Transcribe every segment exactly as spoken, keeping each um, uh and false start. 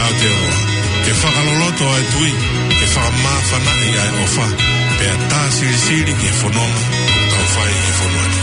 ʻAotearoa, ke fakaloloto ʻa e tui, ke fakamāfanaʻi ʻa e ʻofa, pea tā silisili ki he fononga ʻoku tau fai ʻi he fonua ni.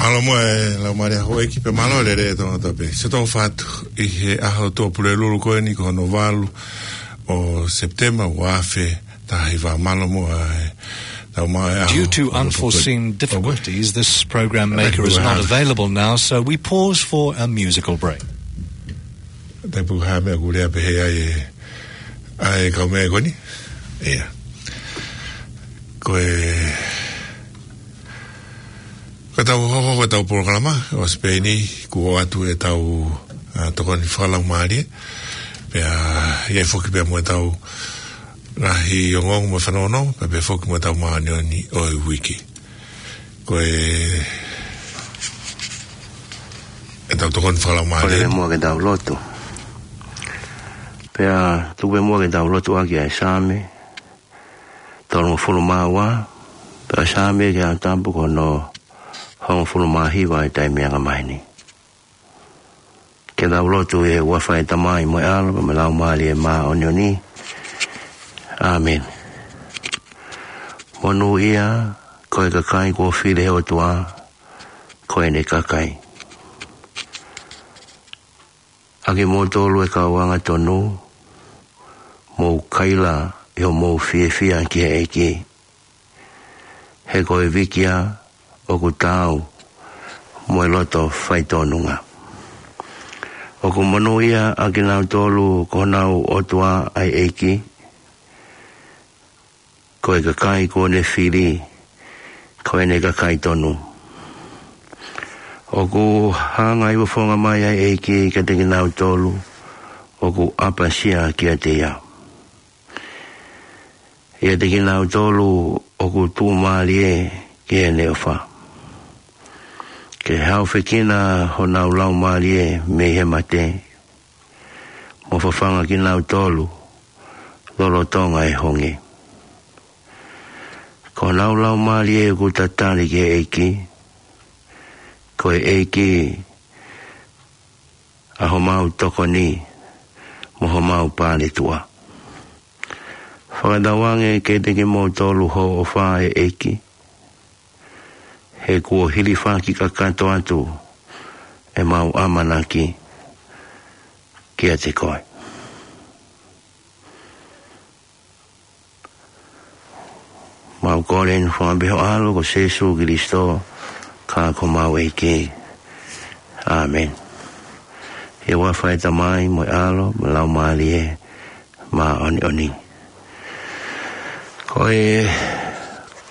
Mālō muʻa e Laumālie Houʻeiki, pea mālō e lelei ʻa e Tonga Tapu. Sio atu ʻi he ʻaho Tuʻapulelulu ko eni, ko hono valu ʻo Sepitema, ua afe taha hiva. Mālō muʻa e tau maʻu e ʻaho. Due to unforeseen difficulties, this program maker is not available now, so we pause for a musical break. Te puha me kulia pe he ai e, ai kau me koni. Ia. Ko e, ko ʻetau hohoko, ko ʻetau polokalama ʻo Sipeini, kuo ʻoatu ʻetau, ʻa, tokoni fakalaumālie. Pea ʻi ai foki pea mo ʻetau ngaahi ongoongo mo e fanongonongo, pea pehē foki mo ʻetau māʻoniʻoni ʻo e uike. Ko e, ʻetau tokoni fakalaumālie. Kole muʻa ke tau lotu. Pea tuku muʻa ke tau lotu ʻaki ʻa e Saame tolungofulu mā ua, pea Saame ki he Tapu ko hono hongofulu mā hiva ʻi he taimi anga maheni. Ke tau lotu. ʻI he huafa ʻo e Tamai mo e ʻAlo pea mo e Laumālie Māʻoniʻoni. ʻĀmeni. Monūʻia ko e kakai kuo fili ʻe he ʻOtua ko ʻene kakai. ʻA kimoutolu ʻa e kau angatonu, mou kaila ʻi hoʻomou fiefia ki he ʻEiki. He ko e vikia ʻoku taau mo e loto faitōnunga. ʻOku monūʻia ʻa kinautolu ko honau ʻOtua ʻa e ʻEiki, ko e kakai kuo ne fili ko ʻene kakai tonu. ʻOku hanga ʻi he fofonga mai ʻa e ʻEiki kiate kinautolu ʻoku ʻapasia kiate ia, ʻiate kinautolu ʻoku tuʻumālie ki heʻene ʻofa, ke haofekina honau laumālie mei he mate, mo fafanga kinautolu lolotonga e honge. Ko honau laumālie ʻoku tatali ki he ʻEiki, ko e ʻEiki ʻa homau tokoni mo homau pāletuʻa. Fakatauange kiate kimoutolu hoʻo ʻofa ʻe ʻEiki, he kuo hilifaki kakato atu ʻemau ʻamanaki kiate koe. Mau kole eni ʻi he huafa ʻo ho ʻAlo ko Sīsū Kalaisi, ko homau ʻEiki. ʻĀmeni. ʻI he huafa ʻo e Tamai mo e ʻAlo mo e Laumālie Māʻoniʻoni. Ko e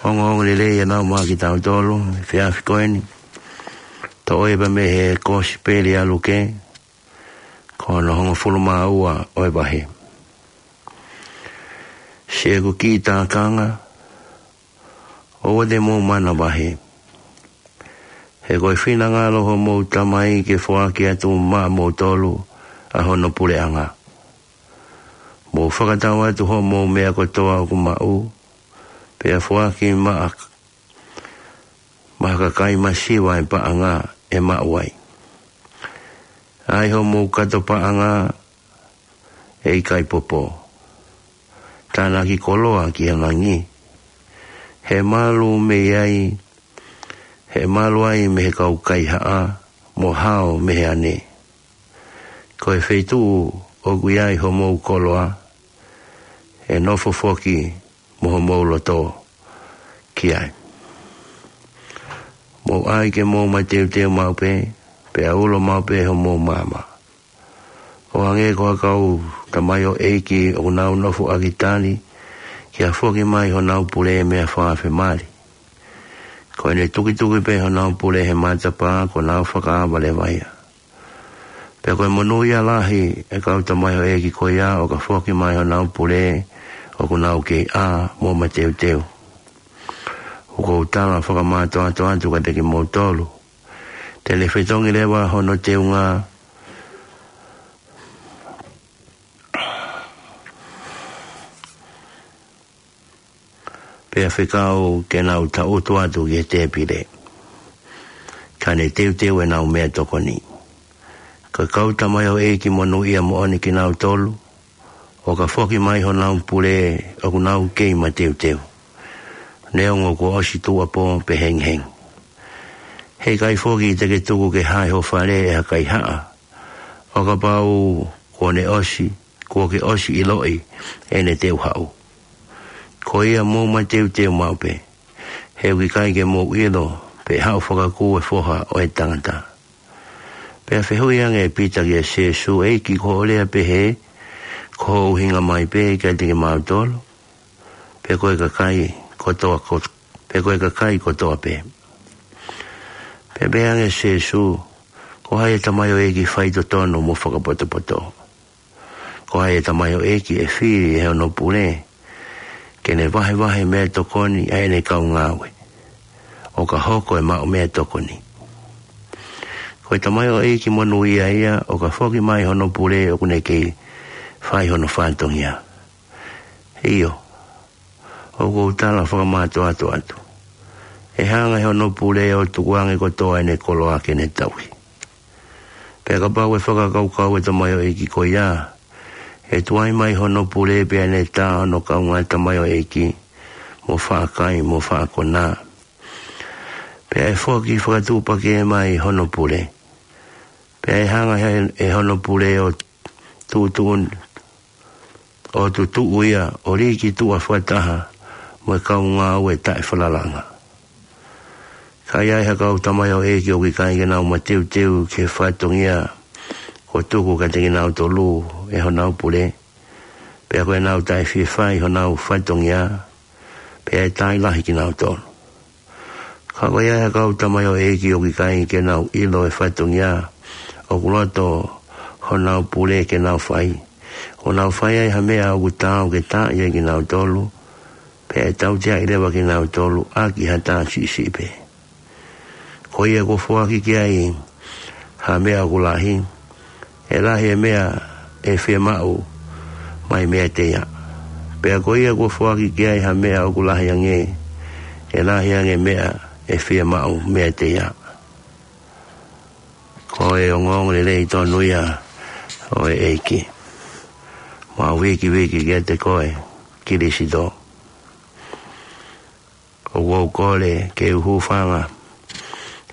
ongoongolelei ʻe nau maʻu kiate kitautolu he efiafi ko eni, toʻo ia pē mei he Kosipeli ʻa Luke, ko hono hongofulu mā ua ʻo e vahe. Siʻeku kiʻi tākanga, ʻoua te mou manavahē. He ko e finangalo ʻo homou Tamai ke foaki atu maʻamoutolu ʻa hono puleʻanga. Mou fakatau atu hoʻomou meʻa kotoa ʻoku maʻu, pea foaki maʻa, maʻa ha kakai masiva ʻa e paʻanga ʻe maʻu ai. ʻAi hoʻomou kato paʻanga ʻe ʻikai popo, tānaki koloa ki he langi. He malu mei ai, he malu ai mei he kau kaihaʻa, mo hao mei he ane. Ko e feituʻu ʻoku ʻi ai hoʻomou koloa, ʻe nofo foki mo homou loto ki ai. Mou ʻai ke mou mateuteu maʻu pē, pea ulo maʻu pē homou maama. ʻO hangē ko ha kau tamaioʻeiki ʻoku nau nofo ʻaki tali, ke foaki mai honau pule meʻa fakafemali. Ko ʻene tukituki pē honau pule he matapā, kuo nau fakaava leva ia. Pea ko e monūʻia lahi ʻa e kau tamaioʻeiki ko ia ʻo ka foaki mai honau pule ʻoku nau kei ʻā mo mateuteu. ʻOku ou tala fakamātoato atu kiate kimoutolu, te ne fetongi leva hono teunga, pea fekau ke nau taʻutu atu ki he tēpile, ka ne teuteu ʻenau meʻatokoni. Ko e kau tamaioʻeiki monūʻia moʻoni kinautolu ʻo ka foaki mai honau pule ʻoku nau kei mateuteu, neongo kuo ʻosi tuʻuapō pe hengihengi. He ʻikai foki te ke tuku ke hae ho fale ʻe ha kaihaʻa, ʻo kapau kuo ne ʻosi, kuo ke ʻosi ʻiloʻi ʻene teu haʻu. Ko ia mou mateuteu maʻu pē, he ʻoku ʻikai ke mou ʻilo pe ʻe haʻu fakakū e Foha ʻo e Tangata. Pea fehuʻi ange ʻe Pita kia Sīsū, ʻEiki, ko hoʻo lea pehē, ko ho ʻuhinga mai pē kiate kimautolu, pe ko e kakai kotoa ko-, pe ko e kakai kotoa pē? Pea pehē ange ʻe Sīsū, ko hai e tamaioʻeiki faitotonu mo fakapotopoto? Ko hai e tamaioʻeiki ʻe fili ʻe hono pule ke ne vahevahe meʻatokoni ʻa ʻene kau ngāue, ʻo ka hoko e maʻu meʻatokoni? Ko e tamaioʻeiki monūʻia ia ʻo ka foaki mai hono pule ʻoku ne kei fai hono fatongia. ʻIo, ʻoku ou tala fakamātoato atu, ʻe hanga ʻe hono pule ʻo tukuange kotoa ʻene koloa ke ne tauhi. Pea kapau ʻe fakakaukau e tamaioʻeiki ko ia, ʻe tuai mai hono pule pea ne tā hono kaungā tamaioʻeiki, mo faʻa kai, mo faʻa konā. Pea ʻe foaki fakatupakē mai hono pule. Pea ʻe hanga ʻe, ʻe hono pule ʻo tuʻutuʻu, ʻo tutuʻu ia ʻo lī ki tuʻa fakataha mo e kau ngāue taʻefalalaʻanga. Ka ʻi ai ha kau tamaioʻeiki ʻoku ʻikai ke nau mateuteu ki he fatongia kuo tuku kiate kinautolu ʻe honau pule, pea ko ʻenau taʻefiefia ʻi honau fatongia, pea ʻe taaʻi lahi kinautolu. Ka ko ia ʻa e kau tamaioʻeiki ʻoku ʻikai ke nau ʻilo e fatongia ʻoku loto honau pule ke nau fai, ʻo nau fai ai ha meʻa ʻoku taau ke taaʻi ai kinautolu, pea ʻe tauteaʻi leva kinautolu ʻaki ha tā siʻisiʻi pē. Ko ia kuo foaki ki ai ha meʻa ʻoku lahi, ʻe lahi e meʻa ʻe fiemaʻu mai meiate ia. Pea ko ia kuo foaki ki ai ha meʻa ʻoku lahi ange, ʻe lahi ange e meʻa ʻe fiemaʻu meiate ia. Ko e ongoongolelei tonu ia ʻo e ʻEiki. Mau vikiviki kiate koe, Kalaisi. ʻOku ou kole ke u hūfanga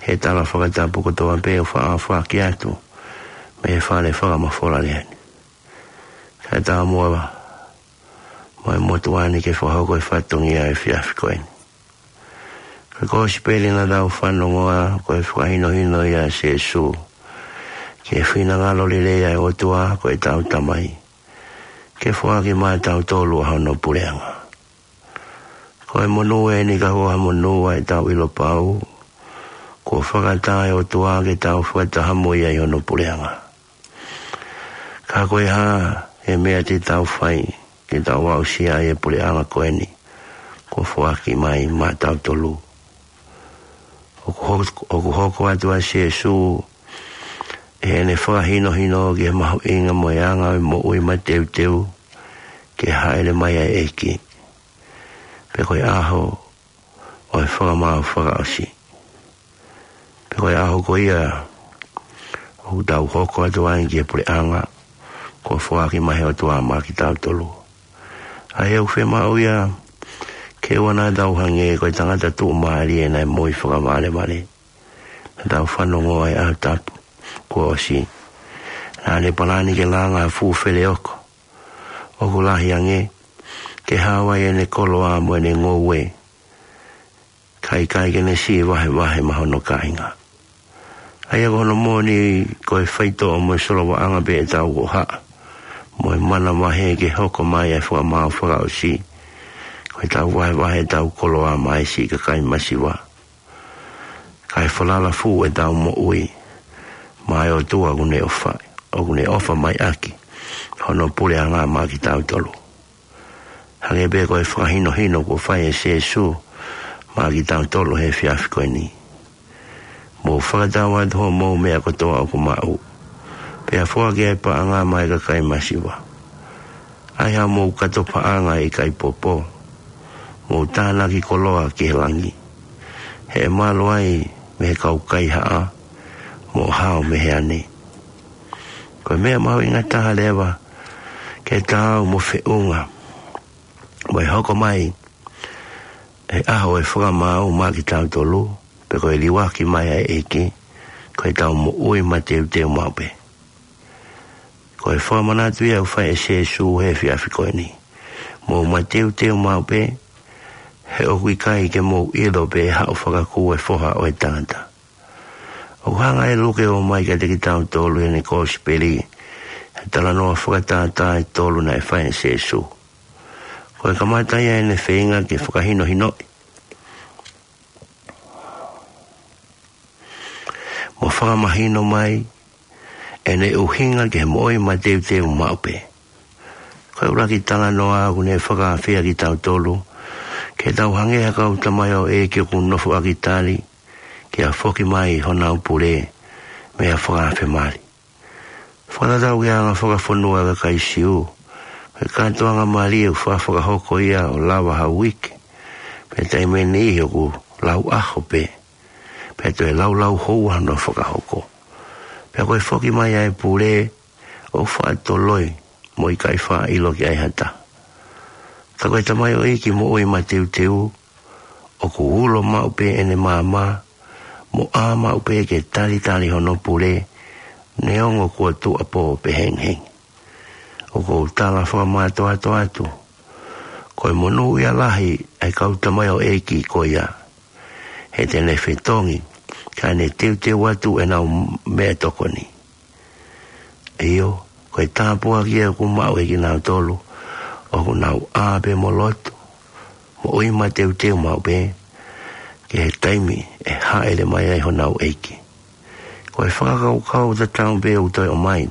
he e tala fakatapu kotoa pē ʻoku faʻa foaki atu mei he fale fakamafola lea ni. Kae ʻatā muʻa mo e motuʻa ni ke fakahoko e fatongia ʻo e efiafi ko eni. Ko e kosipeli naʻa tau fanongoa, ko e fakahinohino ia ʻa Sīsū ki he finangalo lelei ʻa e ʻOtua ko ʻetau Tamai, ke foaki maʻatautolu ʻa hono puleʻanga. Ko e monū eni ka ko ha monū ʻa ʻetau ʻilo pau kuo fakataha e ʻOtua ke tau fakataha mo ia ʻi hono puleʻanga. Ka ko e hā e meʻa te tau fai ke tau aʻusia ai e puleʻanga ko eni kuo foaki mai maʻatautolu? ʻOku ho-, ʻoku hoko atu ʻa Sīsū ʻi heʻene fakahinohino ki he mahuʻinga mo e anga ʻo e moʻui mateuteu ki he hāʻele mai ʻa e ʻEiki, pe ko e ʻaho ʻo e fakamaau fakaʻosi, pe ko e ʻaho ko ia ʻoku tau hoko atu ai ki he puleʻanga kuo foaki mai he ʻOtua maʻa kitautolu. ʻA ia ʻoku fiemaʻu ia ke ʻoua naʻa tau hangē ko e tangata tuʻumālie naʻe moʻui fakavalevale naʻa tau fanongoa he ʻaho tapu kuo ʻosi. Naʻa ne palani ke langa ha fuʻu feleoko ʻoku lahi ange ke hao ai ʻene koloa mo ʻene ngoue, kae ʻikai ke ne siʻi vahevahe maʻa hono kāinga. ʻA ia ko hono moʻoni, ko e faitoʻo mo e solovaʻanga pē ʻetau hohaʻa mo e manavahē ke hoko mai ʻa e fakamaau fakaʻosi, ko ʻetau vahevahe ʻetau koloa maʻa e siʻi kakai masiva, kae falala fuʻu ʻetau moʻui maʻa e ʻOtua ʻoku ne ʻofa, ʻoku ne ʻofa mai ʻaki hono puleʻanga maʻa kitautolu. Hangē pē ko e fakahinohino kuo fai ʻe Sīsū maʻa kitautolu he efiafi ko eni: Mou fakatau atu hoʻomou meʻa kotoa ʻoku maʻu, pea foaki ʻa e paʻanga maʻa e kakai masiva. ʻAi haʻamou kato paʻanga ʻe ʻikai popo, mou tānaki koloa ki he langi, he ʻe malu ai mei he kau kaihaʻa, mo hao mei he ane. Ko e meʻa mahuʻinga taha leva ke taau mo e feʻunga mo e hoko mai e ʻaho ʻo e fakamaau maʻa kitautolu, pe ko e liuaki mai ʻa e ʻEiki, ko ʻetau moʻui mateuteu maʻu pē. Ko e fakamanatu ia ʻoku fai ʻe Sīsū he efiafi ko eni: Mou mateuteu maʻu pē, he ʻoku ʻikai ke mou ʻilo pe ʻe haʻu fakakū e Foha ʻo e Tangata. ʻOku hanga ʻe Luke ʻo ʻomai kiate kitautolu ʻi heʻene kosipeli e talanoa fakatātā ʻe tolu naʻe fai ʻe Sīsū. Ko e kamata ia ʻene feinga ke fakahinohinoʻi mo fakamahino mai ʻene ʻuhinga ki he moʻui mateuteu maʻu pē. Ko e ʻuluaki talanoa ʻoku ne fakaafeʻi kitautolu ke tau hangē ha kau tamaioʻeiki ʻoku nofoʻaki tali ke foki mai honau pule mei ha fakaafe mali. Fakatatau ki he anga fakafonua ʻa e kakai Siu, ko e kātoanga mali ʻoku faʻa fakahoko ia ʻo lava ha uike, pea taimi ʻe niʻihi ʻoku lau ʻaho pē, pea toe laulau houa hono fakahoko. Pea ko e foki mai ʻa e pule ʻoku faʻa toloi mo ʻikai faʻa ʻilo ki ai ha taha. Ka ko e tamaioʻeiki moʻui mateuteu, ʻoku ulo maʻu pē ʻene maama, mo ʻā maʻu pē ke talitali hono pule, neongo kuo tuʻuapō pe hengihengi. ʻOku ou tala fakamātoato atu, ko e monūʻia lahi ʻa e kau tamaioʻeiki ko ia, he te ne fetongi kae ne teuteu atu ʻenau meʻatokoni. ʻIo, ko e tāpuaki ia ʻoku maʻu ʻe kinautolu ʻoku nau ʻā pē mo lotu, moʻui mateuteu maʻu pē, ki he taimi ʻe hāʻele mai ai honau ʻEiki. Ko e fakakaukau tatau pē ʻoku toe ʻomai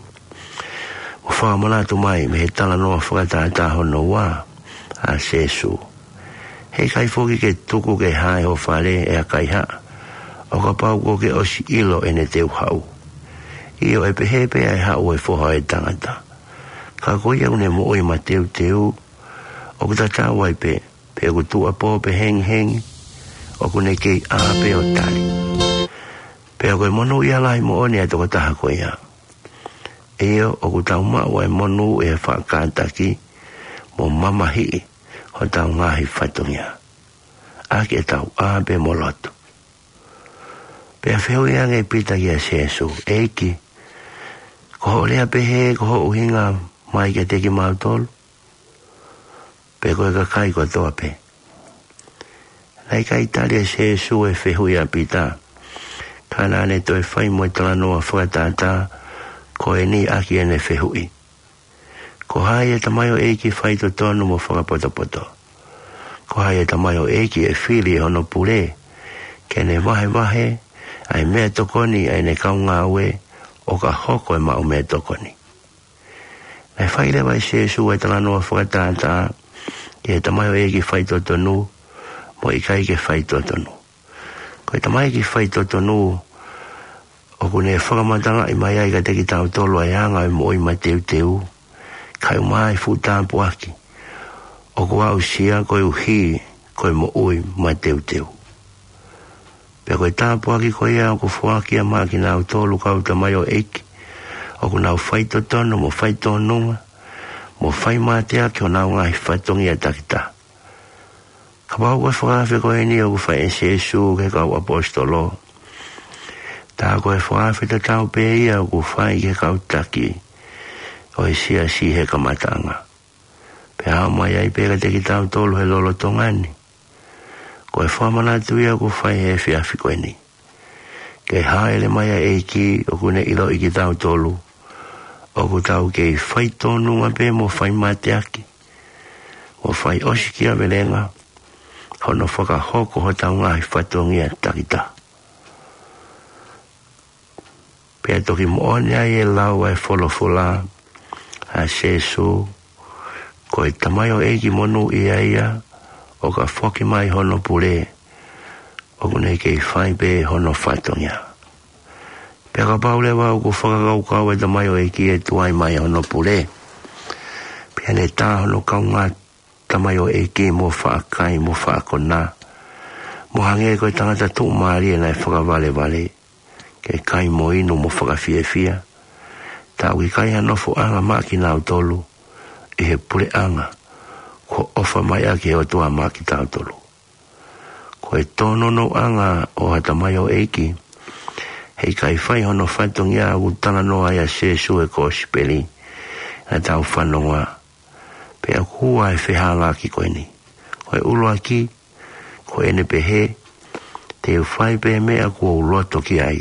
mo fakamanatu mai mei he talanoa fakatātā hono ua ʻa Sīsū: He ʻikai foki ke tuku ke hā ʻi ho fale ʻe ha kaihaʻa ʻo kapau kuo ke ʻosi ʻilo ʻene teu haʻu. ʻIo, ʻe pehē pē ʻa e haʻu ʻo e Foha ʻo e Tangata. Ka ko ia ʻoku ne moʻui mateuteu, ʻoku tatau ai pē pe ʻoku tuʻuapō pe hengihengi, ʻoku ne kei ʻā pē ʻo tali. Pea ko e monūʻia lahi moʻoni ʻa e tokotaha ko ia. ʻIo, ʻoku tau maʻu ʻa e monū ʻi he faʻa kātaki mo mamahiʻi hotau ngaahi fatongia, ʻaki ʻetau ʻā pē mo lotu. Pea fehuʻi ange ʻe Pita kia Sēsū, ʻEiki, ko hoʻo lea pehē ko hoʻo ʻuhinga mai kiate kimautolu, pe ko e kakai kotoa pē? Naʻe ʻikai tali ʻe Sēsū e fehuʻi ʻa Pita, ka naʻa ne toe fai mo e talanoa fakatātā ko eni ʻaki ʻene fehuʻi. Ko hai e tamaioʻeiki faitotonu mo fakapotopoto? Ko hai e tamaioʻeiki ʻe fili ʻe hono pule ke ne vahevahe ʻa e meʻatokoni ʻa ʻene kau ngāue ʻo ka hoko e maʻu meʻatokoni? Naʻe fai leva ʻe Sēsū e talanoa fakatātā ki he tamaioʻeiki faitotonu mo e ʻikai ke faitotonu. Ko e tamaioʻeiki faitotonu, ʻoku ne fakamatalaʻi mai ai kiate kitautolu ʻa e anga ʻo e moʻui mateuteu, kae ʻumaʻā e fuʻu tāpuaki ʻoku aʻusia koeʻuhi ko e moʻui mateuteu. Pea ko e tāpuaki ko ia ʻoku foaki ia maʻa kinautolu kau tamaioʻeiki ʻoku nau faitotonu mo faitōnunga, mo fai mateaki honau ngaahi fatongia takitaha. Kapau ko e fakaafe ko eni ʻoku fai ʻe Sēsū ki he kau ʻaposetolo, tā ko e fakaafe tatau pē ia ʻoku fai ki he kau taki ʻo e siasi he kamataʻanga. Pea aʻu mai ai pē kiate kitautolu he lolotonga ni. Ko e fakamanatu ia ʻoku fai he efiafi ko eni. Ke hāʻele mai ʻa e ʻEiki ʻoku ne ʻiloʻi kitautolu ʻoku tau kei faitōnunga pē mo fai mateaki, mo fai ʻosi kiavelenga, hono fakahoko hotau ngaahi fatongia takitaha. Pea toki moʻoni ai e lau ʻa e folofola ʻa Sēsū, ko e tamaioʻeiki monūʻia ia ʻo ka foki mai hono pule, ʻoku ne kei fai pē hono fatongia. Pea kapau leva ʻoku fakakaukau e tamaioʻeiki ʻe tuai mai hono pule, pea ne tā hono kaungā tamaioʻeiki mo faʻa kai mo faʻa kona, mo hangē ko e tangata tuʻumālie naʻe fakavalevale ke kai mo inu mo fakafiefia, tā ʻoku ʻikai ha nofoʻanga maʻa kinautolu ʻi he puleʻanga kuo ʻofa mai ʻaki ʻe he ʻOtua maʻa kitautolu. Ko e tōnounou ʻanga ʻo ha tamaioʻeiki he ʻikai fai hono fatongia ʻoku talanoa ai ʻa Sēsū he kosipeli naʻa tau fanongoa. Pea ʻoku ua e fehālaaki ko eni. Ko e ʻuluaki, ko ʻene pehē, te u fai pē meʻa kuo u loto ki ai,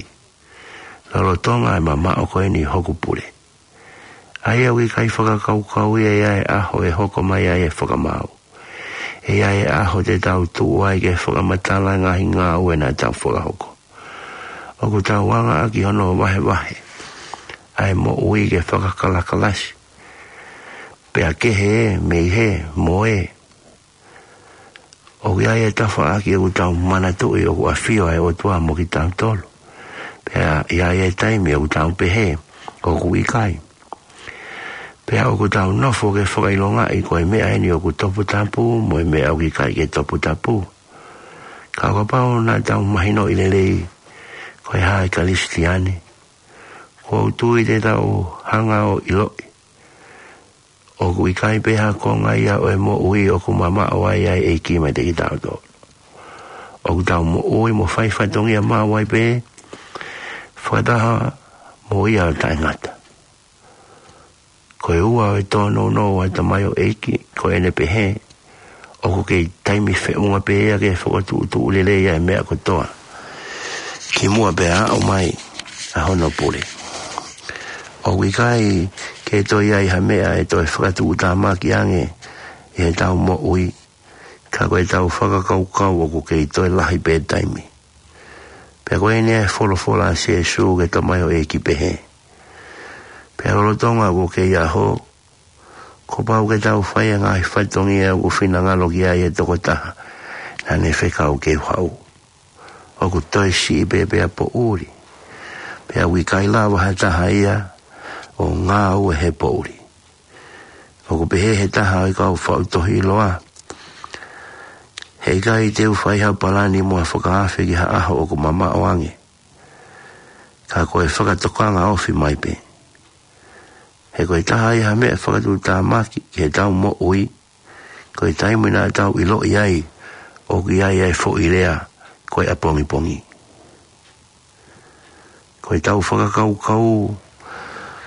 lolotonga e mamaʻo ko eni hoku pule. ʻA ia ʻoku ʻikai fakakaukau ia ʻi he ʻaho ʻe hoko mai ai e fakamaau, ʻi he ʻaho te tau tuʻu ai ke fakamatala e ngaahi ngāue naʻa tau fakahoko. ʻOku tau anga ʻaki hono vahevahe ʻa e moʻui ke fakakalakalasi, pea kehe ē mei hē mo ē. ʻOku ʻi ai e tafaʻaki ʻoku tau manatuʻi ʻoku ʻafio ai e ʻOtua mo kitautolu, pea ʻi ai e taimi ʻoku tau pehē ʻoku ʻikai. Pea ʻoku tau nofo ke fakaʻilongaʻi ko e meʻa eni ʻoku toputapu mo e meʻa ʻoku ʻikai ke toputapu. Ka ʻo kapau naʻa tau mahinoʻi lelei ko e hā e Kalisitiane, ʻoku ou tui te tau hanga ʻo ʻiloʻi ʻoku ʻikai pē ha konga ia ʻo e moʻui ʻoku mamaʻo ai ʻa e ʻEiki meiate kitautolu. ʻOku tau moʻui mo fai fatongia maʻu ai pē fakataha mo ia ʻo taʻengata. Ko e ua ʻo e tōnounou ʻa e tamaioʻeiki, ko ʻene pehē, ʻoku kei taimi feʻunga pē ia ke fakatuʻutuʻu lelei ʻa e meʻa kotoa kimuʻa pea aʻu mai ʻa hono pule. ʻOku ʻikai ke toe ʻi ai ha meʻa ʻe toe fakatuʻutāmaki ange ʻi heʻetau moʻui, ka ko ʻetau fakakaukau ʻoku kei toe lahi pē taimi. Pea ko eni e folofola ʻa Sēsū ki he tamaioʻeiki pehē, pea lolotonga ʻoku kei ʻaho, kuo pau ke tau fai e ngaahi fatongia ʻoku finangalo ki ai e tokotaha naʻa ne fekau ke u haʻu. ʻOku toe siʻi pē pea poʻuli, pea ʻoku ʻikai lava ha taha ia ʻo ngāue he poʻuli. ʻOku pehē he taha ʻo e kau faʻu tohi ʻiloa, he ʻikai te u fai ha palani mo ha fakaafe ki ha ʻaho ʻoku mamaʻo ange, ka ko e fakatokanga ofi mai pē. He ko e taha ia ha meʻa fakatuʻutāmaki ki heʻetau moʻui, ko e taimi naʻa tau ʻiloʻi ai ʻoku ʻi ai ʻa e foʻi lea ko e ʻapongipongi. Ko ʻetau fakakaukau,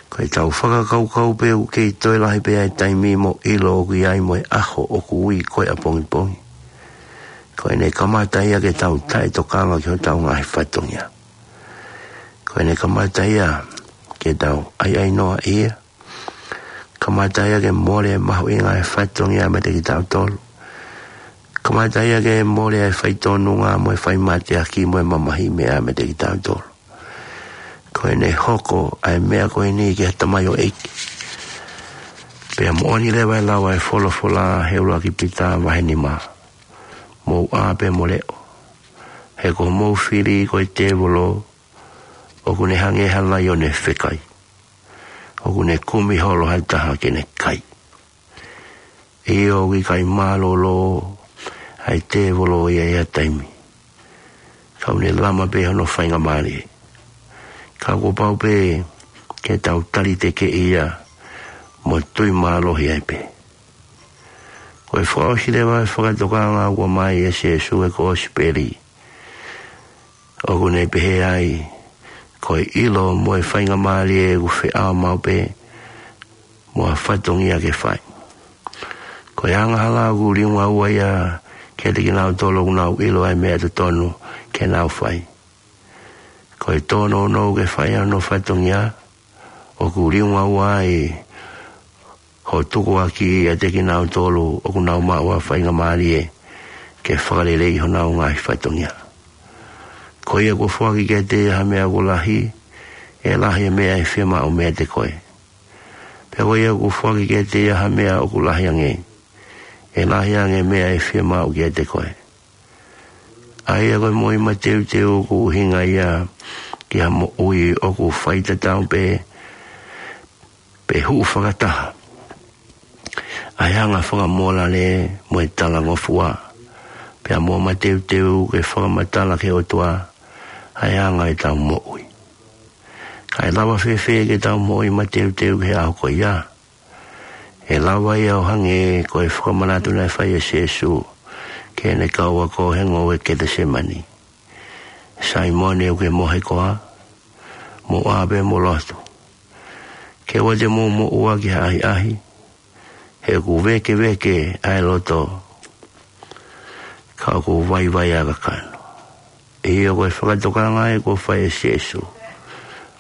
ko ʻetau fakakaukau pē ʻoku kei toe lahi pē ʻa e taimi mo e ʻilo ʻoku ʻi ai mo e ʻaho ʻoku ui ko e ʻapongipongi. Ko ʻene kamata ia ke tau taʻetokanga ki hotau ngaahi fatongia. Ko ʻene kamata ia ke tau ʻaiʻainoaʻi ia. Kamata ia ke mole mahuʻinga e fatongia meiate kitautolu. Kamata ia ke mole e faitonunga mo e faimateaki mo e mamahi meʻa meiate kitautolu. Ko ʻene hoko ʻa e meʻa ko eni ki ha tamaioʻeiki. Pea moʻoni leva e lau ʻa e folofola he ʻuluaki Pita vahe nima. Mou ʻā pea mo leʻo. He ko hoʻomou fili ko e tēvolo, ʻoku ne hangē ha laione fekai. ʻOku ne kumi holo ha taha ke ne kai. ʻIo, ʻoku ʻikai mālōlō ʻa e tēvolo ia ʻi ha taimi. Ka ʻoku ne lama pē hono faingamālie. Ka kuo pau pē ke tau taliteki ia mo tui mālohi ai pē. Ko e fakaʻosi leva e fakatokanga ʻoku ʻomai ʻe Sēsū he Kōsipeli. ʻOku ne pehē ai, ko e ʻilo mo e faingamālie ʻoku feʻao maʻu pē mo ha fatongia ke fai. Ko e angahala ʻoku liunga ua ia kiate kinautolu ʻoku nau ʻilo ʻa e meʻa totonu ke nau fai. Ko e tōnounou ke fai hono fatongia, ʻoku liunga ua ai hoʻo tukuakiʻi ʻiate kinautolu ʻoku nau maʻu ha faingamālie ke fakaleleiʻi honau ngaahi fatongia. Ko ia kuo foaki kiate ia ha meʻa ʻoku lahi, ʻe lahi e meʻa ʻe fiemaʻu meiate koe. Pea ko ia kuo foaki kiate ia ha meʻa ʻoku lahi ange, ʻe lahi ange e meʻa ʻe fiemaʻu kiate koe. ʻA ia ko e moʻui mateuteu ʻoku ʻuhinga ia ki ha moʻui ʻoku faitatau pē, pe huʻu fakataha ʻa e anga fakamōlale mo e talangofua, pea mo mateuteu ke fakamatala ki he ʻOtua ʻa e anga ʻetau moʻui. Ka ʻe lava fēfē ke tau moʻui mateuteu ki he ʻaho ko ia? ʻE lava ia ʻo hangē ko e fakamanatu naʻe fai ʻe Sēsū ki heʻene kau ako he ngoue Ketesemani. Saimone, ʻoku ke mohe koā? Mou ʻā pea mou lotu. Ke ʻoua te mou moʻua ki ha ʻahiʻahi, he ʻoku vēkeveke ʻa e loto, ka ʻoku vaivai ʻa e kakano. ʻIo, ko e fakatokanga ia kuo fai ʻe Sēsū.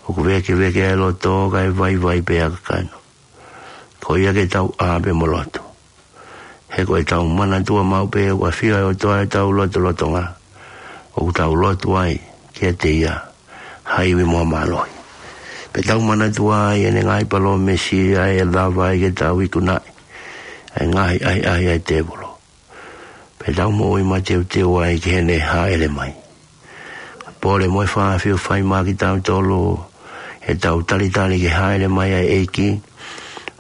ʻOku vēkeveke ʻa e loto, kae vaivai pē ʻa e kakano. Ko ia ke tau ʻā pea mo lotu. He ko ʻetau manatua maʻu pē ʻoku ʻafio ʻa e ʻOtua ʻi hotau lotolotonga, ʻoku tau lotu ai kiate ia ha ivi mo ha mālohi. Pea tau manatua ai ʻene ngaahi palōmesi ʻa ē ʻe lava ai ke tau ikunaʻi ʻa e ngaahi ʻahiʻahi ʻa e tēvolo. Pea tau moʻui mateuteu ai ki heʻene hāʻele mai. Pole mo e fakafiefia maʻa kitautolu ʻetau talitali ki he hāʻele mai ʻa e ʻEiki,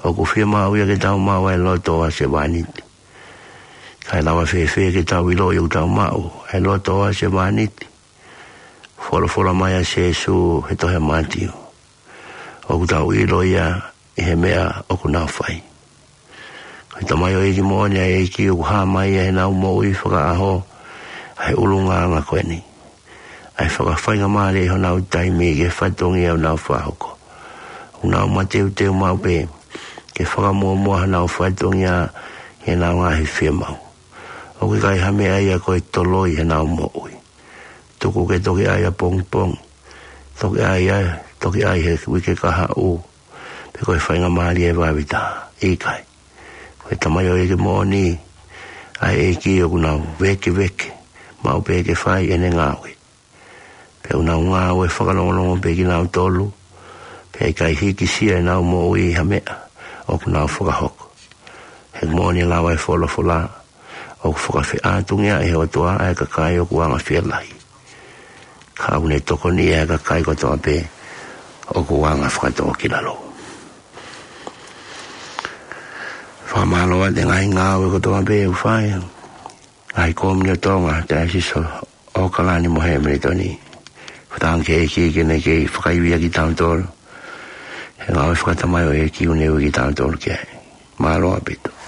ʻoku fiemaʻu ia ke tau maʻu ʻa e loto ʻo ha sevāniti. Kae lava fēfē ke tau ʻiloʻi ʻoku tau maʻu ʻa e loto ʻo ha sevāniti? Folofola mai ʻa Sēsū he tohi ʻa Mātiu, ʻoku tau ʻilo ia ʻi he meʻa ʻoku nau fai. Ko e tamaioʻeiki moʻoni ʻa e ʻEiki ʻoku hā mai ia heʻenau moʻui fakaʻaho ʻa e ʻulungaanga ko eni, ʻa e fakafaingamālie ʻi honau taimi ki he fatongia ʻoku nau fakahoko. ʻOku nau mateuteu maʻu pē ke fakamuʻomuʻa honau fatongia ʻi heʻenau ngaahi fiemaʻu. ʻOku ʻikai ha meʻa ia ko e toloi heʻenau moʻui. Tuku ke toki ʻai ʻapongipongi, toki ʻai ʻa e, toki ʻai he uike kahaʻu, pe ko e faingamālie vave taha. ʻIkai. Ko e tamaioʻeiki moʻoni ʻa e ʻEiki ʻoku nau vēkeveke maʻu pē ke fai ʻene ngāue. Pea ʻoku nau ngāue fakalongolongo pē kinautolu, pea ʻikai hikisia ʻenau moʻui ʻi ha meʻa ʻoku nau fakahoko. He moʻoni e lau ʻa e folofola, ʻoku fakafeʻātungiaʻi ʻe he ʻOtua ʻa e kakai ʻoku anga fielahi, ka ʻoku ne tokoniʻi ʻa e kakai kotoa pē ʻoku anga fakatōkilalo. Fakamālō atu he ngaahi ngāue kotoa pē ʻoku fai, ngaahi kōmuni ʻo Tonga, Taiosisi ʻo ʻOkalani mo Hemilitoni. Fakatauange ki he ʻEiki ke ne kei fakaivia kitautolu he ngāue fakatamaioʻeiki ʻoku ne ui kitautolu ki ai. Mālō ʻaupito.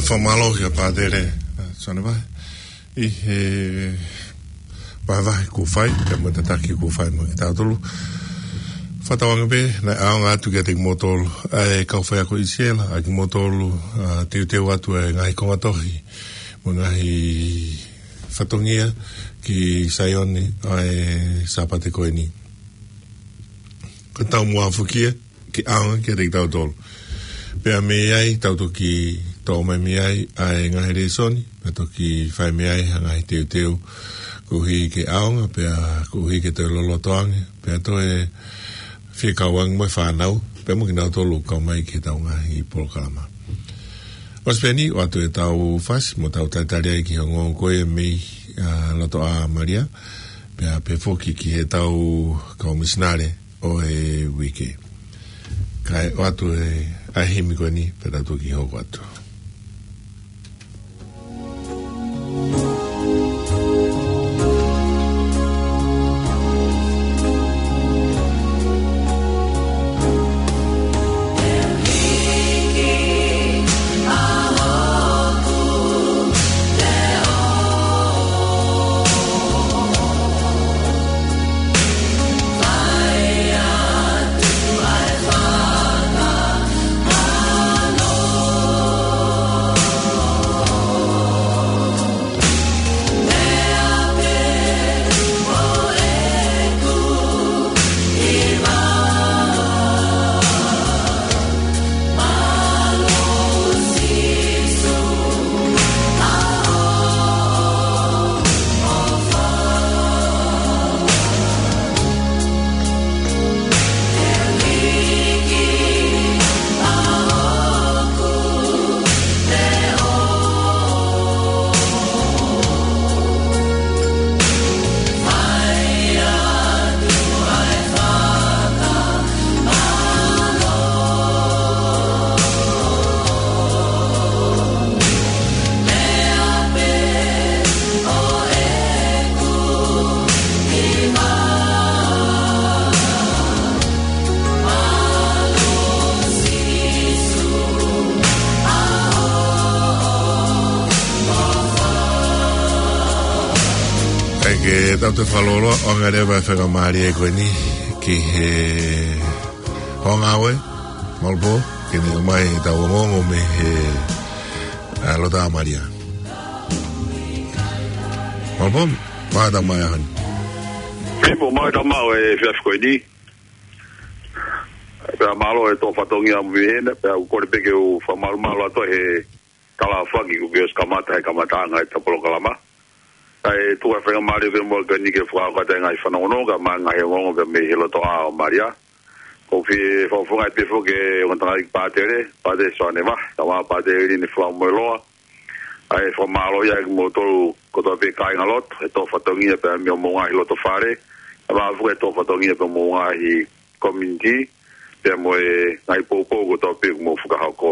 Fakamālō kia Pātele, ā, Sione Vahe. ʻI he vahevahe kuo fai, pea mo e tataki kuo fai mo kitautolu. Fakatauange pē, naʻe ʻaonga atu kiate kimoutolu, ʻa e kau faiako ʻi Siela, ʻa kimoutolu, ā, teuteu atu e ngaahi konga tohi, mo e ngaahi fatongia ki Saione, ʻa e Sāpate ko eni. Ko e taumuʻa foki ia, ke ʻaonga kiate kitautolu. Pea mei ai, tau toki toʻo mai mei ai, ʻa e ngaahi lēsoni, pea toki fai mei ai, ha ngaahi teuteu, koeʻuhi ke ʻaonga, pea koeʻuhi ke toe loloto ange, pea toe fie kau ange mo e fānau, pea mo kinautolu kau mai ki heʻetau ngaahi polokalama. ʻOsi pē eni, ʻoatu ʻetau fasi, mo tau talitali ai ki he ongoongo ko ia mei, ā, loto ʻa Malia, pea pehē foki ki heʻetau kau misinale, ʻo e uike. Kae ʻoatu e, ʻa e himi ko eni, pea tau toki hoko atu. ʻAi ke tau toe fakalōloa, ʻoange leva e faingamālie ko eni ki he hoʻo ngāue, Malupō, ke ne ʻomai ʻetau ongoongo mei he, ā, loto ʻa Malia. Malupō, mātā mai ahoni. Pea mo mātā mai ʻo e efiafi ko eni. Pea mālō e tō fatongia mo e vihena, pea u kole pē ke u fakamalumalu atu he talafaki kuo ke ʻosi kamata he kamataʻanga ʻetau polokalama. Kae tuku e faingamālie ko eni ke fakahoko atu e ngaahi fanongonongo, kae ʻumaʻā e ngaahi ongoongo pea mei he loto ʻa Malia. ʻOku ou fie fakafofongaʻi pē foki e ongo tangataʻeiki Pātele, Pātele Sione Vahe, kae ʻumaʻā Pātele Lini Falamoeloa, ʻa e fakamālō ia kimoutolu kotoa pē kāingalotu, he tō fatongia pea mei hoʻomou ngaahi loto fale, kae ʻumaʻā foki e tō fatongia pea mo e ngaahi community, pea mo e ngaahi poupou kotoa pē ʻoku mou fakahoko.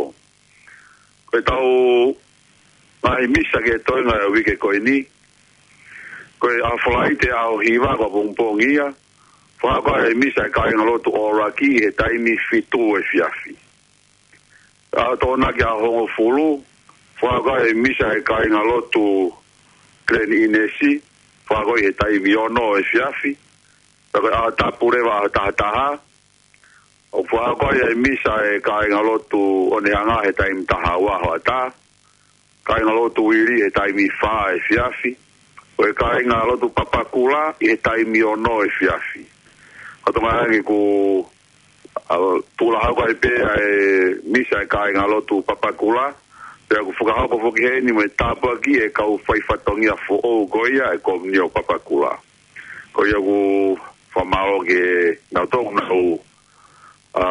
Ko ʻetau ngaahi misa ki he toenga e uike ko eni, ko e ʻaho Falaite ʻaho hiva ko e pongipongi ia, fakahoko ai e misa e kāingalotu ʻo ʻUluaki he taimi fitu efiafi. ʻAho Tokonaki ʻaho hongofulu, fakahoko ai e misa e kāingalotu Glen Innes, fakahoko ai he taimi ono efiafi. Pea ko e ʻaho Tapu leva ʻaho taha taha, ʻoku fakahoko ai e misa e kāingalotu ʻOnehanga he taimi taha ua hoʻatā. Kāingalotu Uili he taimi fā efiafi. Ko e kāingalotu Papakura ʻi he taimi ono efiafi. Ko e tokanga ange kuo, ā, tuʻulahau ko ē pē ʻa e misa e kāingalotu Papakura. Pea kuo fakahoko foki heni mo e tāpuaki e kau faifatongia foʻou ko ia e Komiunio Papakura. Ko ia ʻoku ou fakamālō ki he nau tō nau, ā,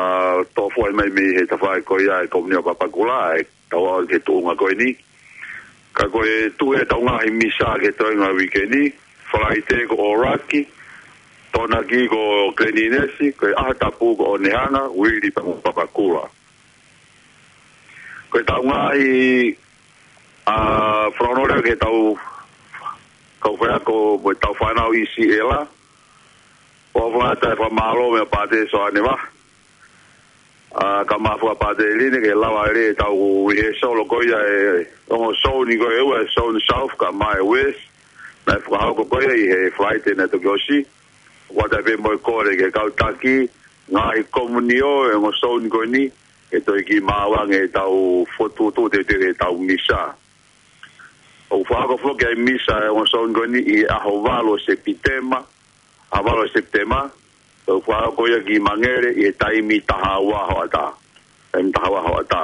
tō foʻi mai mei he tafaʻaki ko ia e Komiunio Papakura, ʻa e tau ʻalu ki he tuʻunga ko eni. Ka ko e tuʻu ʻetau ngaahi misa ki he toenga e uike ni, Falaite ko ʻUluaki, Tokonaki ko Glen Innes, ko e ʻaho Tapu ko ʻOnehanga, Uili pea mo Papakura. Ko ʻetau ngaahi, ā, fanongonongo leva ki heʻetau kau faiako mo ʻetau fānau ʻi Siela. ʻOku ou fakatapu e fakamālō meia Pātele Sione Vahe. ʻA, kae ʻumaʻā foki ʻa Pātele Line, ke lava lelei ʻetau rehearsal ko ia ʻa e ongo zone ko ē ʻe ua, zone South kae ʻumaʻā e West, naʻe fakahoko ko ia ʻi he Falaite naʻe toki ʻosi. ʻOatu ai pē mo e kole ki he kau taki, ngaahi komiunitī ʻo e ongo zone ko eni, ke toe kiʻi maʻu ange ʻetau fokotuʻutuʻu teuteu ʻetau misa. ʻOku fakahoko foki ʻa e misa ʻa e ongo zone ko eni ʻi he ʻaho valu ʻo Sepitema, ʻaho valu ʻo Sepitema, ʻoku fakahoko ia ki Mangere ʻi he taimi taha ua hoʻatā. Taimi taha ua hoʻatā.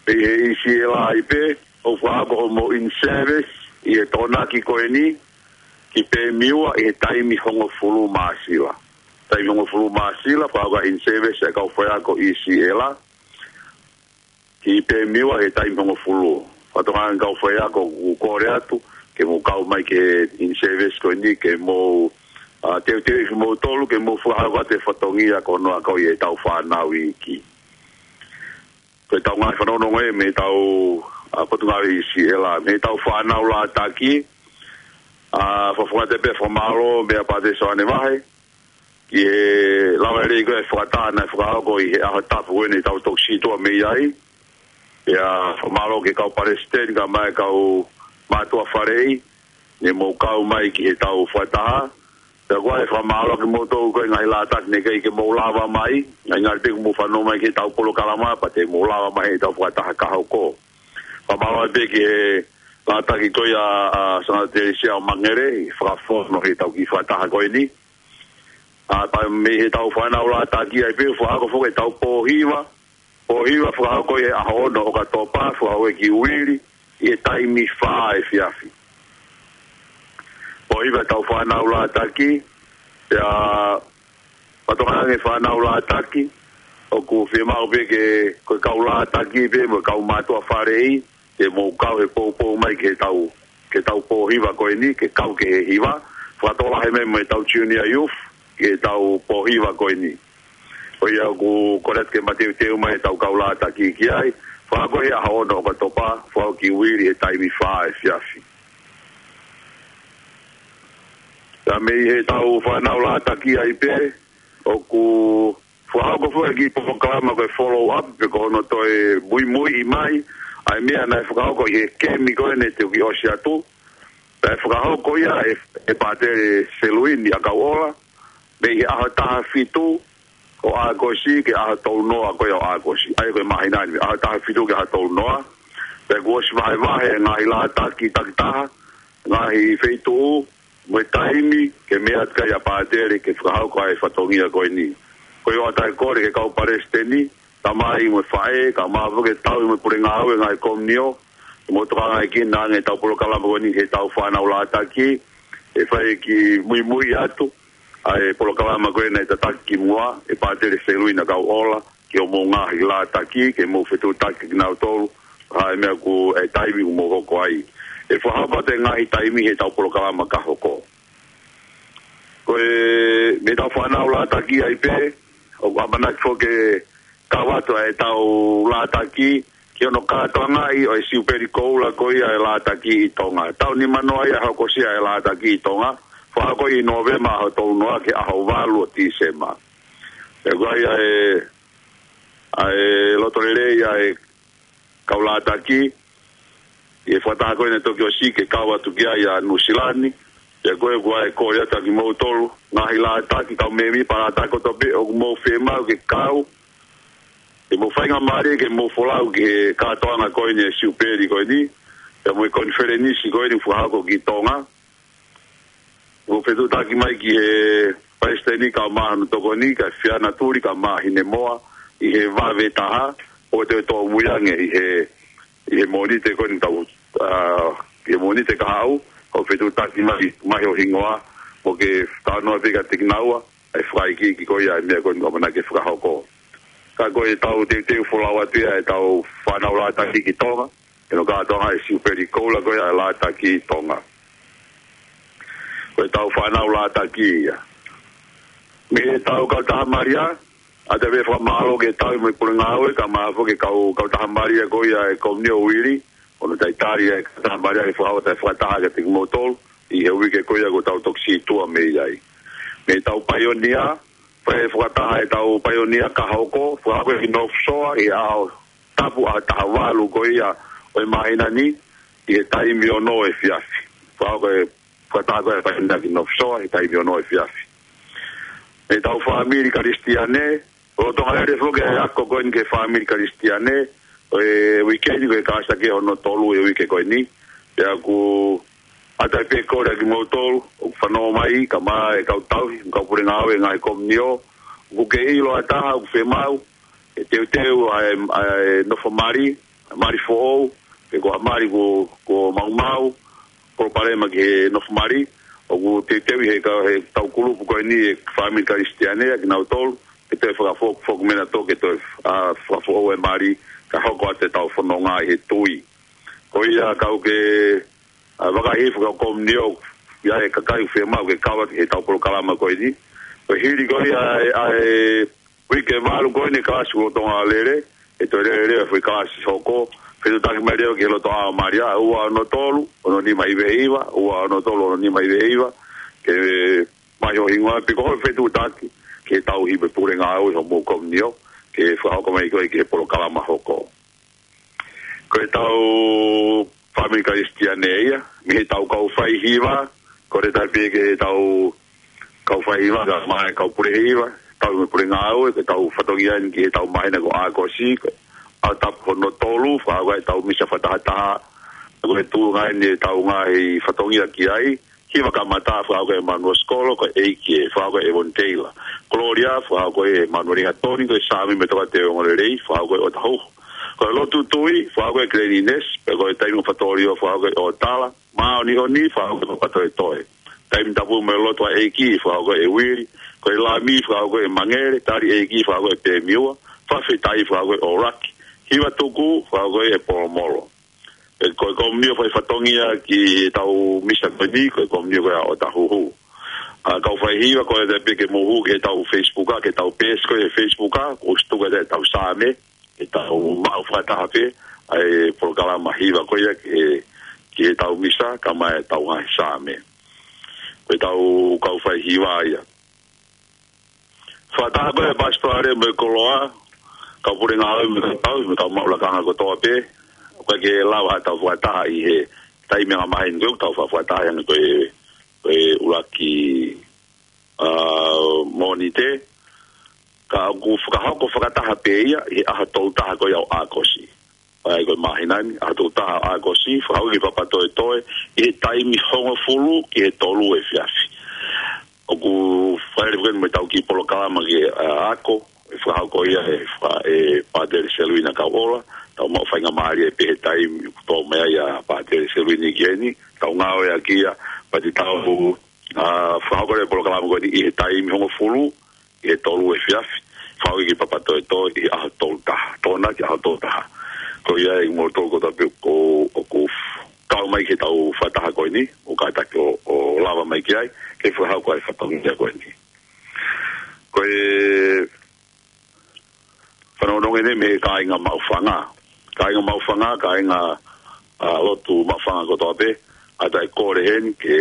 Pea ʻi he E C L A ai pē, ʻoku fakahoko hoʻomou in-service ʻi he Tokonaki ko eni, ki Pemiua ʻi he taimi hongofulu māsila. Taimi hongofulu māsila, fakahoko ʻa e in-service ʻa e kau faiako E C L A, ki Pemiua he taimi hongofulu. Fakatokanga ki he kau faiako ʻoku kole atu, ke mou kau mai ki he in-service ko eni, ke mou, ʻa, teuteu kimoutolu, ke mou fakahoko atu e fatongia ko hono akoʻi ʻetau fānau iiki. Ko ʻetau ngaahi fanongonongo ē mei heʻetau, ʻa, Potungāue E C L A, mei heʻetau fānau Lātaki, ʻa, fakafofonga atu pē fakamālō meia Pātele Soane Vahe, ki he lava lelei ko ē e fakataha naʻe fakahoko ʻi he ʻaho tapu ko eni ʻetau toki sītuʻa mei ai. Pea fakamālō ki he kau palesiteni kae ʻumaʻā e kau mātuʻa faleʻi, ne mou kau mai ki heʻetau fakataha. Pea ʻoku ou fakamālō kimoutolu ko ē ngaahi Lātaki naʻe ʻikai ke mou lava mai, ngaahi ngali pē kuo mou fanongo mai ki heʻetau polokalama, pea te mou lava mai heʻetau fakataha ka hoko. Fakamālō pē ki he Lātaki ko ia ʻa Sangata Telesia ʻo Mangere, ʻi he fakafono heʻetau kiʻi fakataha ko eni. ʻA, pea mei heʻetau fānau Lātaki ai pē, fakahoko foki ʻetau pōhiva. Pōhiva fakahoko ʻi he ʻaho ono ʻo ʻOkatopa, fakahoko ʻi Uili, ʻi he taimi fā efiafi. Pōhiva ʻetau fānau Lātaki, pea fakatokanga ki he fānau Lātaki, ʻoku fiemaʻu pē ke, ko e kau Lātaki pē, mo e kau mātuʻa faleʻi, ke mou kau he poupou mai ki heʻetau, ki heʻetau pōhiva ko eni, ke kau ki he hiva, fakatokolahi mai mo ʻetau junior youth, ki heʻetau pōhiva ko eni. Ko ia ʻoku kole atu ke mateuteu mai ʻetau kau Lātaki ki ai, fakahoko ʻi he ʻaho ono ʻo ʻOkatopa, fakahoko ʻi Uili he taimi fā efiafi. Pea mei heʻetau fānau Lātaki ai pē, ʻoku fakahoko foki e kiʻi polokalama ko e follow up, pe ko hono toe muimuiʻi mai ʻa e meʻa naʻe fakahoko ʻi he kemi ko ē naʻe toki ʻosi atu. Naʻe fakahoko ia ʻe, ʻe Pātele Seluini ʻa Kauʻola, mei he ʻaho taha fitu ʻo ʻAokosi ki he ʻaho tolu noa ko ia ʻo ʻAokosi. ʻA ia ko e māhina ni, ʻaho taha fitu ki he ʻaho tolu noa. Pea kuo ʻosi vahevahe e ngaahi Lātaki takitaha, ngaahi feituʻu, mo e taimi, ke meʻa atu ki ai ʻa Pātele ke fakahoko ʻa e fatongia ko eni. Ko ia ʻoatu ai e kole ki he kau palesiteni, tamai mo e faʻē, kae ʻumaʻā foki e tauhi mo e pule ngāue ngaahi komiunitī, ke mou tokangaekina ange ʻetau polokalama ko eni heʻetau fānau Lātaki, ʻe fai e kiʻi muimui atu ʻa e polokalama ko ē naʻe tataki ki muʻa ʻe Pātele Seluini ʻa Kauʻola, ki hoʻomou ngaahi Lātaki, ke mou fetuʻutaki kinautolu, ha meʻa ko e taimi ʻoku mou hoko ai. ʻE fakahoko atu e ngaahi taimi heʻetau polokalama ka hoko. Ko e mei heʻetau fānau Lātaki ai pē, ʻoku ʻamanaki foki ke kau atu ʻa ʻetau Lātaki, ki hono kātoangaʻi ʻo e Siupeli Koula ko ia ʻa e Lātaki ʻi Tonga. Taʻu nima noa ia hokosia ʻa e Lātaki ʻi Tonga, fakahoko ʻi Nōvema ʻaho tolu noa ki he ʻaho valu ʻo Tīsema. Pea ko ia ʻa e, ʻa e loto lelei ʻa e kau Lātaki, ʻi he fakataha ko ē naʻe toki ʻosi ke kau atu ki ai ʻa Nuʻusila ni, pea ko e ʻoku ou kole atu kiate kimoutolu, ngaahi Lātaki, kau mēmipa Lātaki kotoa pē, ʻoku mou fiemaʻu ke kau, ke mou faingamālie ke mou folau ki he kātoanga ko eni ʻa e Siupeli ko eni, pea mo e konifelenisi ko eni ʻoku fakahoko ki Tonga. Mou fetuʻutaki mai ki he palesiteni kae ʻumaʻā hono tokoni, kia Fiana Tuli kae ʻumaʻā Hinemoa, ʻi he vave taha, ʻo toe tōmui ange ʻi he, ʻi he Mōnite ko eni tau, ʻa, ʻi he Mōnite kahaʻu, ʻo fetuʻutaki mai, mai ho hingoa, mo ke talanoa pē kiate kinaua, ʻa e fakaikiiki ko ia ʻa e meʻa ko eni ʻoku ʻamanaki ke fakahoko. Ka ko ʻetau teuteu folau atu ia ʻetau fānau Lātaki ki Tonga, ʻi hono kātoanga ʻa e Siupeli Koula ko ia ʻa e Lātaki ʻi Tonga. Ko ʻetau fānau Lātaki ia. Mei heʻetau kautaha Malia, ʻoatu ai pē e fakamālō ki he tauhi mo e pule ngāue, kae ʻumaʻā foki e kau, kautaha Malia ko ia ʻa e Komiunitī ʻo Uili, ʻo hono talitali ʻa e kautaha Malia ke fakahoko ʻa e fakataha kiate kimoutolu, ʻi he uike ko ia kuo tau toki sītuʻa mei ai. Mei heʻetau paionia, Pea fakataha ʻetau paionia ka hoko, fakahoko ʻi North Shore, ʻi he ʻaho tapu ʻaho taha valu ko ia ʻo e māhina ni, ʻi he taimi ono efiafi. Fakahoko e fakataha ko e paionia ki North Shore, ʻi he taimi ono efiafi. ʻEtau fāmili Kalisitiane, lolotonga lele foki e ako ko eni ki he fāmili Kalisitiane, ʻo e uike ni ko e kalasi ʻaki hono tolu e uike ko eni. Pea ʻoku ʻatā pē kole ʻa kimoutolu ʻoku fanongo mai, kae ʻumaʻā e kau tauhi, kau pule ngāue ngaahi komiunitī, ʻoku ke ʻilo ʻa e taha ʻoku fiemaʻu ke teuteu ʻa e, ʻa e nofo mali, mali foʻou, pe ko ha mali kuo, kuo maumau, palopalema ki he nofo mali, ʻoku teuteu ʻe he ka-, heʻetau kulupu ko eni e fāmili Kalisitiane ʻa kinautolu, ke toe fakafoki, foki mena tō ke toe, ʻa, fakafoʻou e mali, kae hoko atu ʻetau fononga ʻi he tui. Ko ia kau ke, ʻa, vakahi fakakomiunitī, ʻa e kakai ʻoku fiemaʻu ke kau atu heʻetau polokalama ko eni. Ko e hili ko ia ʻa e, ʻa e uike valu ko eni kalasi lolotonga lele, ʻe toe lele leva foʻi kalasi hoko, fetuʻutaki mai leva ki he loto ʻao Malia, ua ono tolu, ono nima hiva hiva, ua ono tolu, ono nima hiva hiva, ke mai ho hingoa pe ko hoʻo fetuʻutaki, ke tauhi pē pule ngāue homou komiunitī, ke fakahoko mai koe ki he polokalama hoko. Ko ʻetau fāmili Kalisitiane ia, mei heʻetau kau faihiva, kole atu pē ki heʻetau kau faihiva, kae ʻumaʻā e kau pule hiva, tauhi mo e pule ngāue, ko ʻetau fatongia eni ki heʻetau māhina ko ʻAokosi, ko e ʻaho tapu hono tolu, fakahoko ʻetau misa fakatahataha, ko e tuʻunga eni ʻetau ngaahi fatongia ki ai, hiva kamata, fakahoko ʻe Manuel Sikolo, ko e ʻEiki ē, fakahoko ʻe Evon Teila. Kololia, fakahoko ʻe Manuel Ingatoni, ko e Saame mo e Tokāteline Ongoongolelei, fakahoko ʻe ʻOtahuhu. Ko e lotu tui, fakahoko ʻe Kileni Inesi, pea ko e taimi ʻo e fatongia, fakahoko ʻe ʻOtala, māʻoniʻoni, fakahoko ʻe Papatoetoe. Taimi tapu mo e lotu ʻa e ʻEiki, fakahoko ʻe Uili, ko e Lami, fakahoko ʻe Mangele, tali ʻEiki, fakahoko ʻe Pemiua, fakafetaʻi, fakahoko ʻe ʻOlaki, hiva tuku, fakahoko ʻe Polomolo. ʻE, ko e komiunitī ʻoku fai fatongia ki heʻetau misa ko eni, ko e komiunitī ko ia ʻa ʻOtahuhu. ʻA, kau faihiva kole atu pē ke mou hū ki heʻetau Facebook, ki heʻetau peesi ko e Facebook, ʻoku ʻosi tuku ʻetau Saame, ke tau maʻu fakataha pē, ʻa e polokalama hiva ko ia ki he, ki heʻetau misa, kae ʻumaʻā ʻetau ngaahi Saame. Ko ʻetau kau faihiva ia. Fakataha ko e pasitō ʻa e mo e koloa, kau pule ngāue mo e kau tauhi, mo e kau maʻu lakanga kotoa pē, ʻoku ʻikai ke lava ʻetau fakataha ʻi he taimi angamaheni ko ē, ʻoku tau fakataha ange ko e, ko e ʻuluaki, ʻa, Mōnite, ka ʻoku fakahoko fakataha pē ia, ʻi he ʻaho tolu taha ko ia ʻo ʻAokosi. ʻA ia ko e māhina ni, ʻaho tolu taha ʻAokosi, fakahoko ki Papatoetoe, ʻi he taimi hongofulu ki he tolu efiafi. ʻOku fai lelei foki mo ʻetau kiʻi polokalama ki he, ʻa, ako, ʻe fakahoko ia ʻe fa-, ʻe Pātele Seluina Kauʻola, tau maʻu faingamālie pē he taimi ʻoku tō mai ai ʻa Pātele Seluina ki heni, tau ngāueʻaki ia, pea te tau, ʻa, fakahoko e polokalama ko eni ʻi he taimi hongofulu, ʻi he tolu efiafi, fakahoko ki Papatoetoe ʻi he ʻaho tolu taha, Tokonaki ʻaho tolu taha. Ko ia ʻe kimoutolu kotoa pē ʻoku, ʻoku kau mai ki heʻetau fakataha ko eni, ʻoku kātaki ʻo, ʻo lava mai ki ai, ke fakahoko ʻa e fatongia ko eni. Ko e fanongonongo eni mei he kāinga Maʻufanga. Kāinga Maʻufanga, kāinga, ʻa, lotu Maʻufanga kotoa pē, ʻatā e kole heni, ke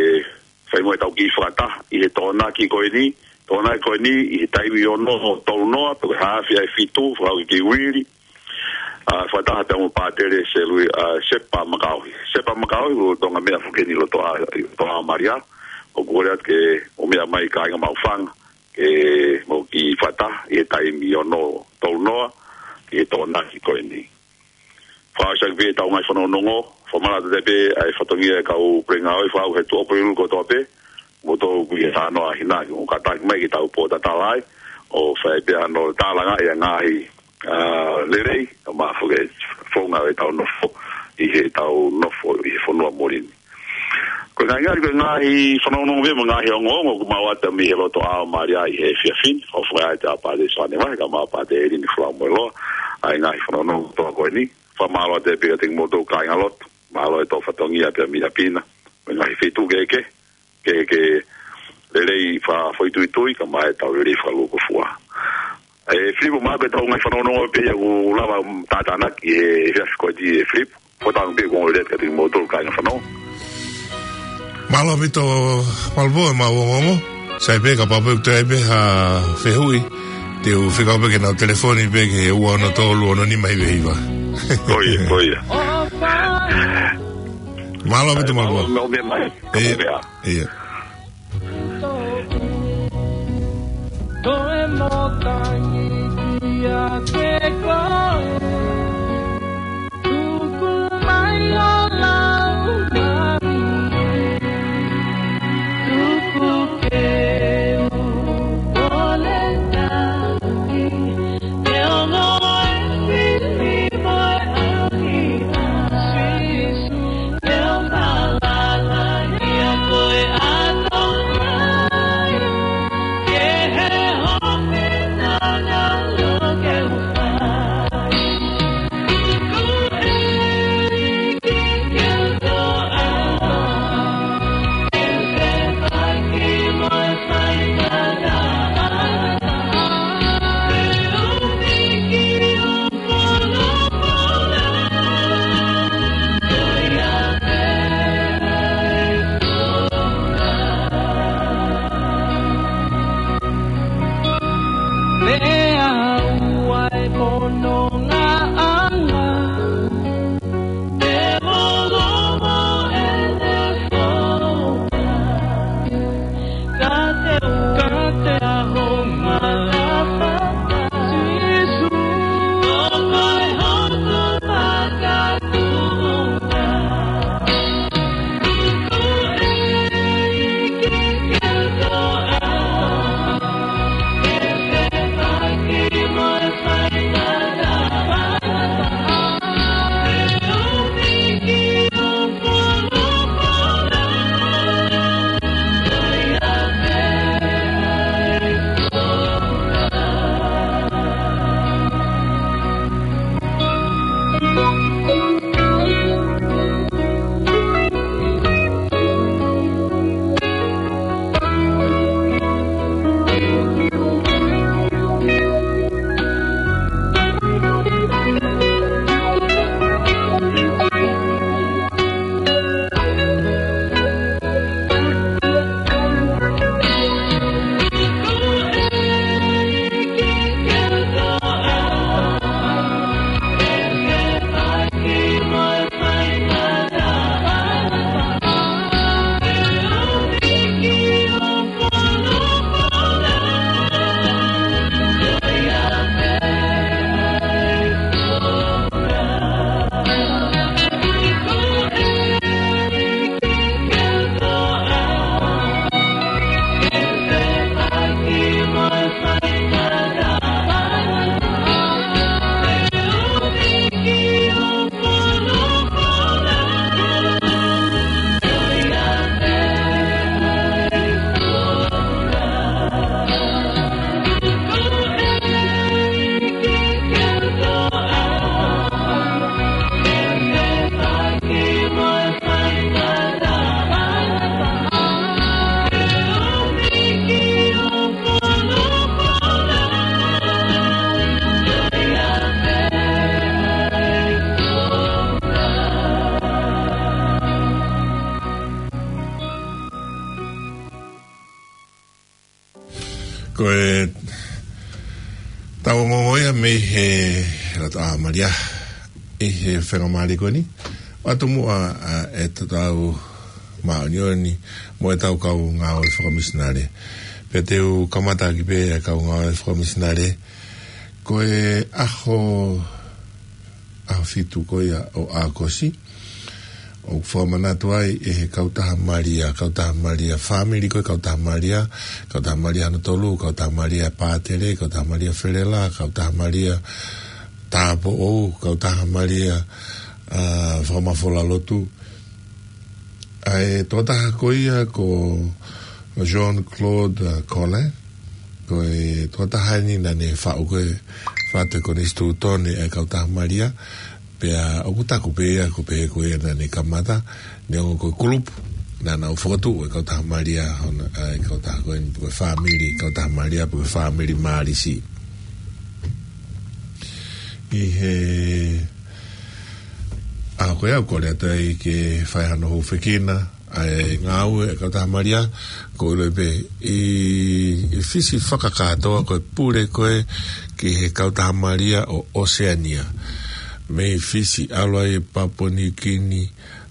fai mo ʻetau kiʻi fakataha, ʻi he Tokonaki ko eni, Tokonaki ko eni, ʻi he taimi ono tolu noa, pe ko e haafe ʻa e fitu, fakahoko ki Uili. ʻA, fakataha pea mo Pātele Selui-, ʻa, Sepa Makaohi. Sepa Makaohi, ʻoku lolotonga meʻa foki eni ʻi loto ʻa, ʻi loto ʻa Malia, ʻoku kole atu ke mou meʻa mai kāinga Maʻufanga, ke mou kiʻi fakataha, ʻi he taimi ono tolu noa, ʻi he Tokonaki ko eni. Fakaʻosi ʻaki pē ʻetau ngaahi fanongonongo, fakamālō atu pē ʻa e fatongia e kau pule ngāue fakahoko he tuʻo pulu kotoa pē, mo tau kui e hano a hina, ʻoku kātaki mai ke tau pōtatala ai, ʻo fai pē hano tālanga ʻa e ngaahi, ʻa, lelei, ʻo mafoke founga ʻetau nofo, ʻi heʻetau nofo, ʻi he fonua muli ni. Ko e ngaahi, ngaahi, ko e ngaahi fanongonongo pē mo e ngaahi ongoongo, ʻoku mau ʻatā mei he loto ʻa Malia ʻi he efiafi ni, ʻo fai ʻa Pātele Soane Vahe, kae ʻumaʻā Pātele ʻElini Fulamoeloa, ʻa e ngaahi fanongonongo kotoa ko eni, fakamālō atu pē kiate kimoutolu kāinga lotu, mālō e tō fatongia pea mei ʻapi na, mo e ngaahi feituʻu kehekehe, ke, ke lelei fakafoʻituitui, kae ʻumaʻā ʻetau lelei fakalūkufua. ʻE, Filipo, mahalo ko ʻetau ngaahi fanongonongo pē ia ʻoku lava tātānaki he efiafi ko eni ʻe Filipo. Ko ʻetau pē ko e lelei kiate kimoutolu kāinga fanongo. Mālō ʻaupito, mālō pē ʻemau ongoongo. Sai pē, kapau pē ʻoku toe ʻi ai pē ha fehuʻi, te u fekau pē ke nau telefoni pē ki he ua ono tolu ono nima hiva hiva. Ko ia, ko ia. Mālō ʻaupito, mālō. Mālō, mālō, mālō. Ia, ia. Ko e tau ongoongo ia mei he Lata ʻa Malia ʻi he fenga mali ko eni. ʻOatu muʻa ʻa e tau māʻoniʻoni mo e tau kau ngāue fakamisinale. Pea te u kamata ʻaki pē ʻa e kau ngāue fakamisinale. Ko e ʻaho, ʻaho fitu ko ia ʻo ʻAokosi, ʻoku fakamanatu ai ʻe he Kautaha Malia, Kautaha Malia Fāmili ko e Kautaha Malia, Kautaha Malia hono tolu, Kautaha Malia Pātele, Kautaha Malia Felela, Kautaha Malia Tāupoʻou, Kautaha Malia, ʻa, Fakamafola Lotu. ʻA e tokotaha ko ia ko Jean-Claude, ʻa, Collin, ko e tokotaha eni naʻa ne faʻu ko e faʻu ko e konisitūtone ʻa e Kautaha Malia, pea ʻoku taku pē ia ko pē ko ia naʻa ne kamata, neongo ko e kulupu naʻa nau fokotuʻu e Kautaha Malia, hono, ʻa e kautaha ko eni pe ko e fāmili Kautaha Malia pe ko e fāmili Mālisi. ʻI he ʻAho ko ia ʻoku kole atu ai ke fai hano hūfekina ʻa e ngāue ʻa e Kautaha Malia, ko e ʻilo pē ʻi, ʻi Fisi fakakātoa ko e pule ko ē ki he Kautaha Malia ʻo ʻOseania. Mei Fisi, ʻalu ai Papua Niu Kini,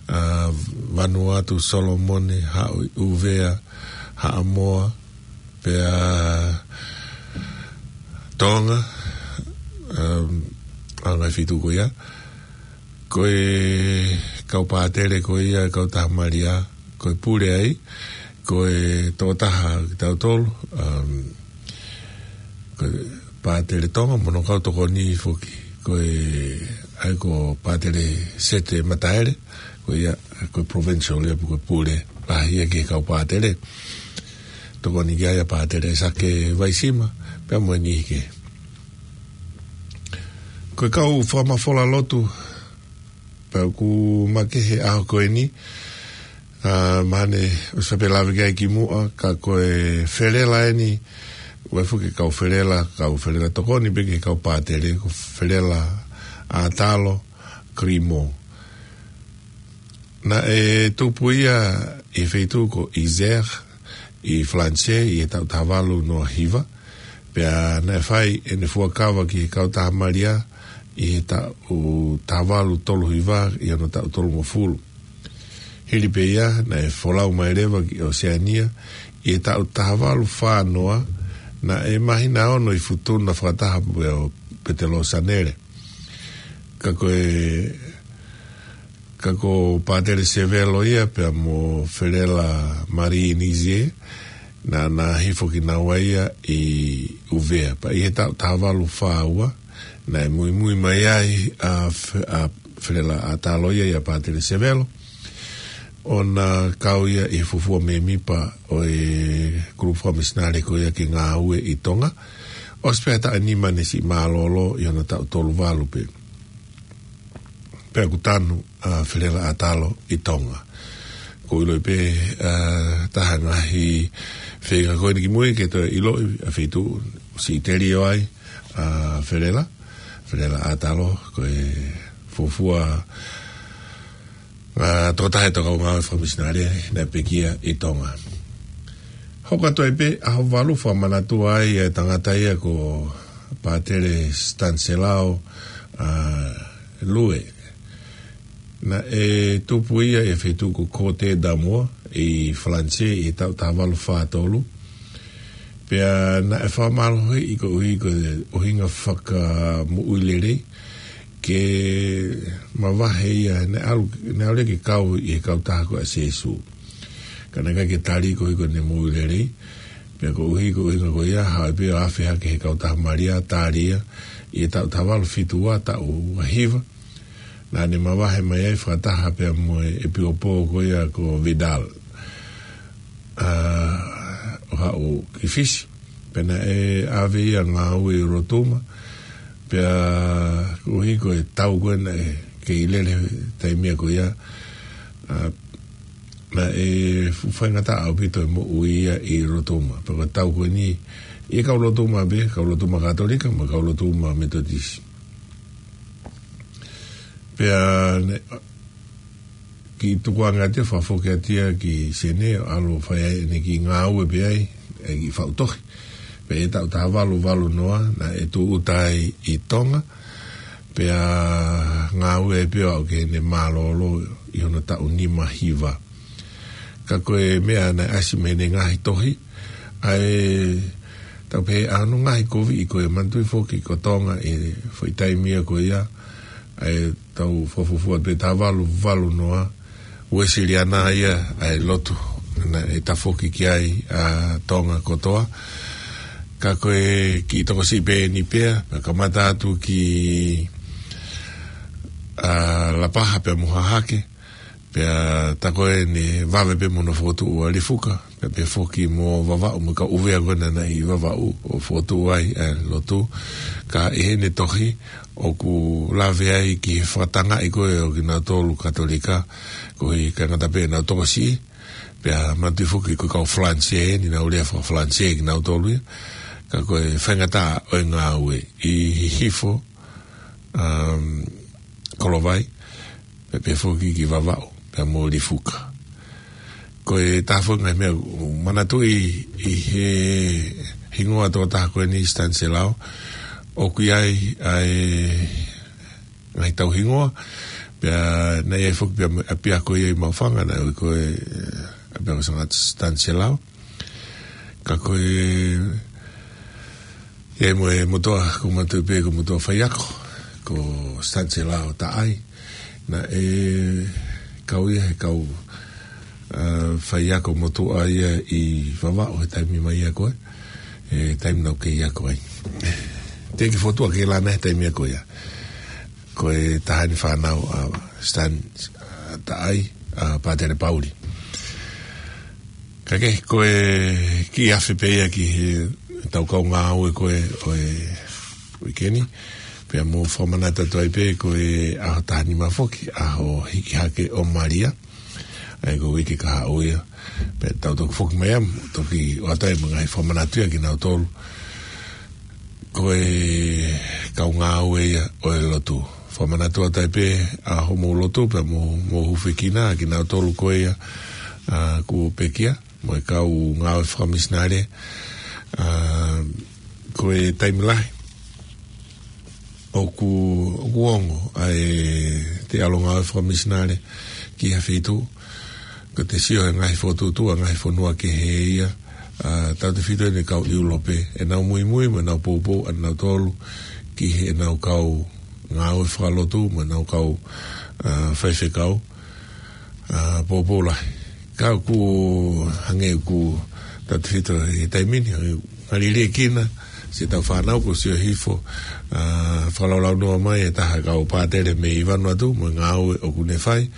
ʻa, Vanuatu, Solomone, haʻu ʻi ʻUvea, Haʻamoa, pea Tonga, um, ʻa e ngaahi feituʻu ko ia. Ko e kau pātele ko ia, Kautaha Malia, ko e pule ai, ko e tokotaha kitautolu, um, ko e pātele Tonga, mo hono kau tokoni foki, ko e, ʻa ia ko Pātele Sete Mataele, ko ia, ko e provincial ia, ko e pule, ʻa ia ki he kau pātele. Tokoni ki ai ʻa Pātele Sake Vaisima, pea mo e niʻihi kehe. Ko e kau fakamafola lotu, pea ʻoku makehe ʻaho ko eni, ʻa, mahalo ʻoku ou sio pē lave ki ai kimuʻa, ka ko e felela eni, ʻoku ʻi ai foki e kau felela, kau felela tokoni pē ki he kau pātele, ko Felela ʻAtalo Grimo. Naʻe tupu ia ʻi he feituʻu ko Isère, ʻi Falanisē, ʻi he taʻu taha valu noa hiva, pea naʻe fai ʻene fuakava ki he Kautaha Malia ʻi he taʻu taha valu tolu hiva ʻi hono taʻu tolungofulu. Hili pē ia, naʻe folau mai leva ki ʻOseania ʻi he taʻu taha valu fā noa, naʻe māhina ono ʻi Futuna fakataha pea mo Petelo Sanele. Ka ko e, ka ko Pātele Sevelo ia pea mo Felela Marie Nizie, naʻa na hifo kinaua ia ʻi ʻUvea. Pea ʻi he taʻu taha valu fā ua, naʻe muimui mai ai ʻa Fe-, ʻa Felela ʻAtalo ia ʻia Pātele Sevelo, ʻo na kau ia ʻi he fuofua mēmipa ʻo e kulupu fakamisinale ko ia ke ngāue ʻi Tonga. ʻOsi pē ha taʻu ʻe nima ne siʻi mālōlō ʻi hono taʻu tolu valu pē. Pea ʻoku tanu ʻa Felela ʻAtalo ʻi Tonga. ʻOku ou ʻilo pē, ʻa, taha ngaahi feinga ko eni kimui ke toe ʻiloʻi ʻa e feituʻu ʻoku siʻi telio ai ʻa Felela, Felela ʻAtalo, ko e fuofua, ʻa, tokotaha ʻi he tau kau ngāue fakamisinale naʻe pekia ʻi Tonga. Hoko atu ai pē ʻaho valu, fakamanatua ai ʻa e tangata ia ko Pātele Stanislao, ʻa, Lue. Naʻe tupu ia ʻi he feituʻu ko Côtes d'Armor ʻi Falanisē ʻi he taʻu taha valu fā tolu. Pea naʻe fakamālohiʻi koeʻuhi ko e ʻuhinga fakamoʻui lelei ke mavahe ia, naʻe ʻalu, naʻe ʻalu ia ke kau ʻi he kautaha ko ia ʻa Sīsū. Ka naʻe ʻikai ke tali koeʻuhi ko ʻene moʻui lelei. Pea koeʻuhi ko e ʻuhinga ko ia, haʻu ai pē ʻo afe hake he Kautaha Malia, tali ia, ʻi he taʻu taha valu fitu ua, taʻu ua hiva. Naʻa ne mavahe mai ai fakataha pea mo e ʻepiskopo ko ia ko Vidal, ʻa, ʻo haʻu ki Fisi. Pea naʻe ʻave ia ʻo ngāue ʻi Rotuma. Pea koeʻuhi ko e tau ko ē naʻe kei lele he taimi ko ia, ʻa, naʻe fuʻu faingataʻa ʻaupito e moʻui ia ʻi Rotuma. Pea ko e tau ko eni, ʻi he kau Rotuma pē, kau Rotuma Katolika, mo e kau Rotuma Metotisi. Pea ne, kiʻi tukuange atu ia, fakafoki atu ia ki Senē, ʻalu ʻo fai ai ʻene kiʻi ngāue pē ai, ʻa e kiʻi faʻu tohi. Pea ʻi he taʻu taha valu valu noa, naʻe tūʻuta ai ʻi Tonga, pea ngāue ai pē ʻo aʻu ki heʻene mālōlō ʻi hono taʻu nima hiva. Ka ko e meʻa naʻe ʻasi mei heʻene ngaahi tohi, ʻa e, tau pehē, ʻa hono ngaahi koviʻi ko ē, manatuʻi foki ko Tonga ʻi he foʻi taimi ia ko ia, ʻa e taʻu fakafuofua pē taha valu valu noa, Uēsiliana ia ʻa e lotu naʻe tafoki ki ai ʻa Tonga kotoa. Ka ko e kiʻi tokosiʻi pē eni pea, pea kamata atu ki, ʻa, Lapaha pea mo Hahake, pea tā ko ē ne vave pē mo hono fokotuʻu ʻa Lifuka, pea pehē foki mo Vavaʻu, mo e kau ʻUvea ko ē naʻa nau ʻi Vavaʻu ʻo fokotuʻu ai ʻa e lotu. Ka ʻi heʻene tohi, ʻoku lave ai ki he fakatangaʻi ko ē ʻo kinautolu Katolika, koeʻuhi ka ngata pē ʻenau tokosiʻi, pea manatuʻi foki ko e kau Falanisē, naʻa nau lea faka-Falanisē kinautolu ia, ka ko e faingataʻa ʻo e ngāue ʻi Hihifo, um, Kolovai, pea pehē foki ki Vavaʻu, pea mo Lifuka. Ko e taha foki e ngaahi meʻa ʻoku ou manatuʻi ʻi he hingoa tokotaha ko eni Staniselao, ʻoku ʻi ai ʻa e ngaahi tauhingoa, pea naʻe ʻi ai foki pē ʻapiako ia ʻi Maʻufanga, naʻe ui ko e, eh, ʻapiako Sanga-, Staniselao. Ka ko e, ʻi ai mo e motuʻa, ʻoku ou manatuʻi pē ko e motuʻa faiako, ko Staniselao Taʻai. Naʻe kau ia he kau, ah, faiako motuʻa ia ʻi Vavaʻu he taimi mai ia ko ē, he taimi naʻá ku kei ako ai. Teʻeki ke u fokotuʻu ʻa Keilana he taimi ia ko ia. Ko e taha eni e fānau ʻa Stan, ah, Taʻai, ʻa Pātele Pauli. Ka ke, ko e kiʻi afe pē ia ki heʻetau kau ngāue ko ē ʻo e uike ni, pea mou fakamanatu atu ai pē ko e ʻaho taha nima foki, ʻaho hiki hake ʻo Malia, ʻa ia ko e uike kahaʻu ia, pea tau toki foki mai ia, toki ʻoatu ai mo e ngaahi fakamanatu ia kinautolu ko e kau ngāue ia ʻo e lotu. Fakamanatu atu ai pē ʻa hoʻomou lotu pea mo, mo e hūfekina kinautolu ko ia, ah, kuo pekia, mo e kau ngāue fakamisinale, ah, ko e taimi lahi ʻoku, ʻoku ongo ʻa e te ʻalu ngāue fakamisinale ki ha feituʻu, ka te sio he ngaahi fokotuʻutuʻu ʻa e ngaahi fonua kehe ia, ah, tautefito eni e kau ʻIulope, ʻenau muimui mo ʻenau poupou ʻanautolu ki heʻenau kau ngāue fakalotu mo ʻenau kau, ah, faifekau, ah, poupou lahi. Ka ʻoku hangē ʻoku tautefito he taimi ni, hangē ʻoku ngali liʻekina siʻetau fānau kuo sio hifo, ah, fakalaulaunoa mai e taha e kau pātele mei Vanuatu mo e ngāue ʻoku ne fai,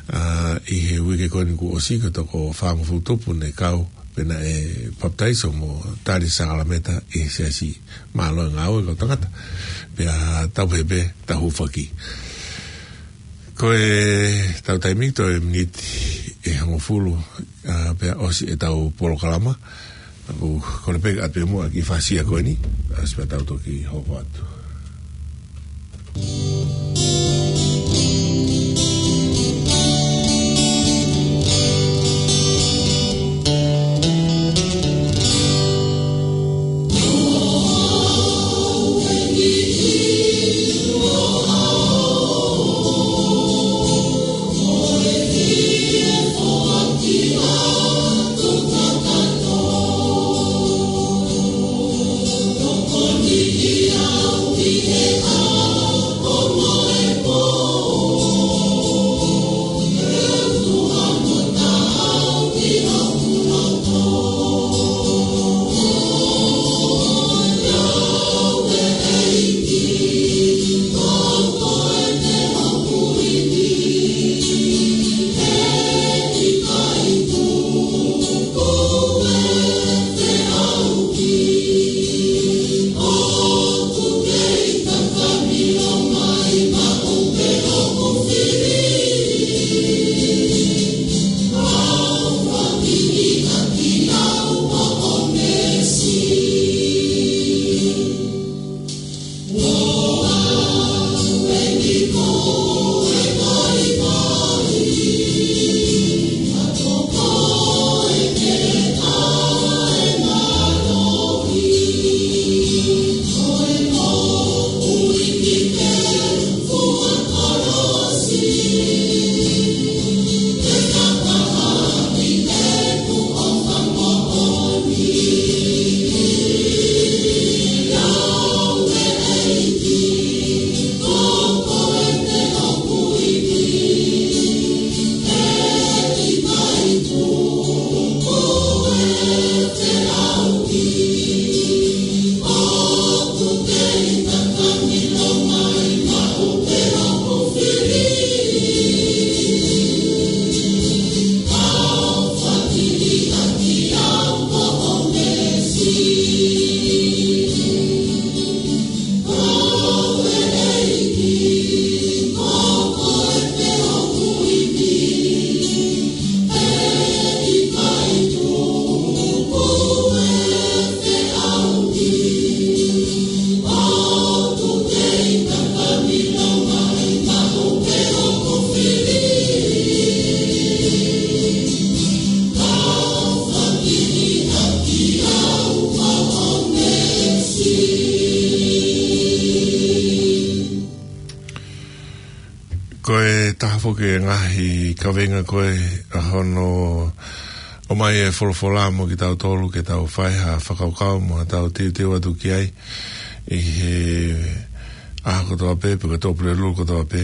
ah, ʻi he uike ko eni kuo ʻosi, ko e toko fāngofulu tupu ne kau pea naʻe papitaiso mo tali sākalamēniti ʻi he siasi. Mālō e ngāue kau tangata. Pea tau pehē pē, tau hūfaki. Ko ʻetau taimi, toe miniti ʻe hongofulu, ah, pea ʻosi ʻetau polokalama. ʻOku kole pē ke ʻoatu pē muʻa e kiʻi fakasia ko eni, ʻosi pea tau toki hoko atu. Ko e ngaahi kaveinga ko ē ʻa hono ʻomai e folofola mo kitautolu ke tau fai ha fakakaukau mo ha tau teuteu atu ki ai ʻi he ʻaho kotoa pē, pe ko e Tuʻapulelulu kotoa pē.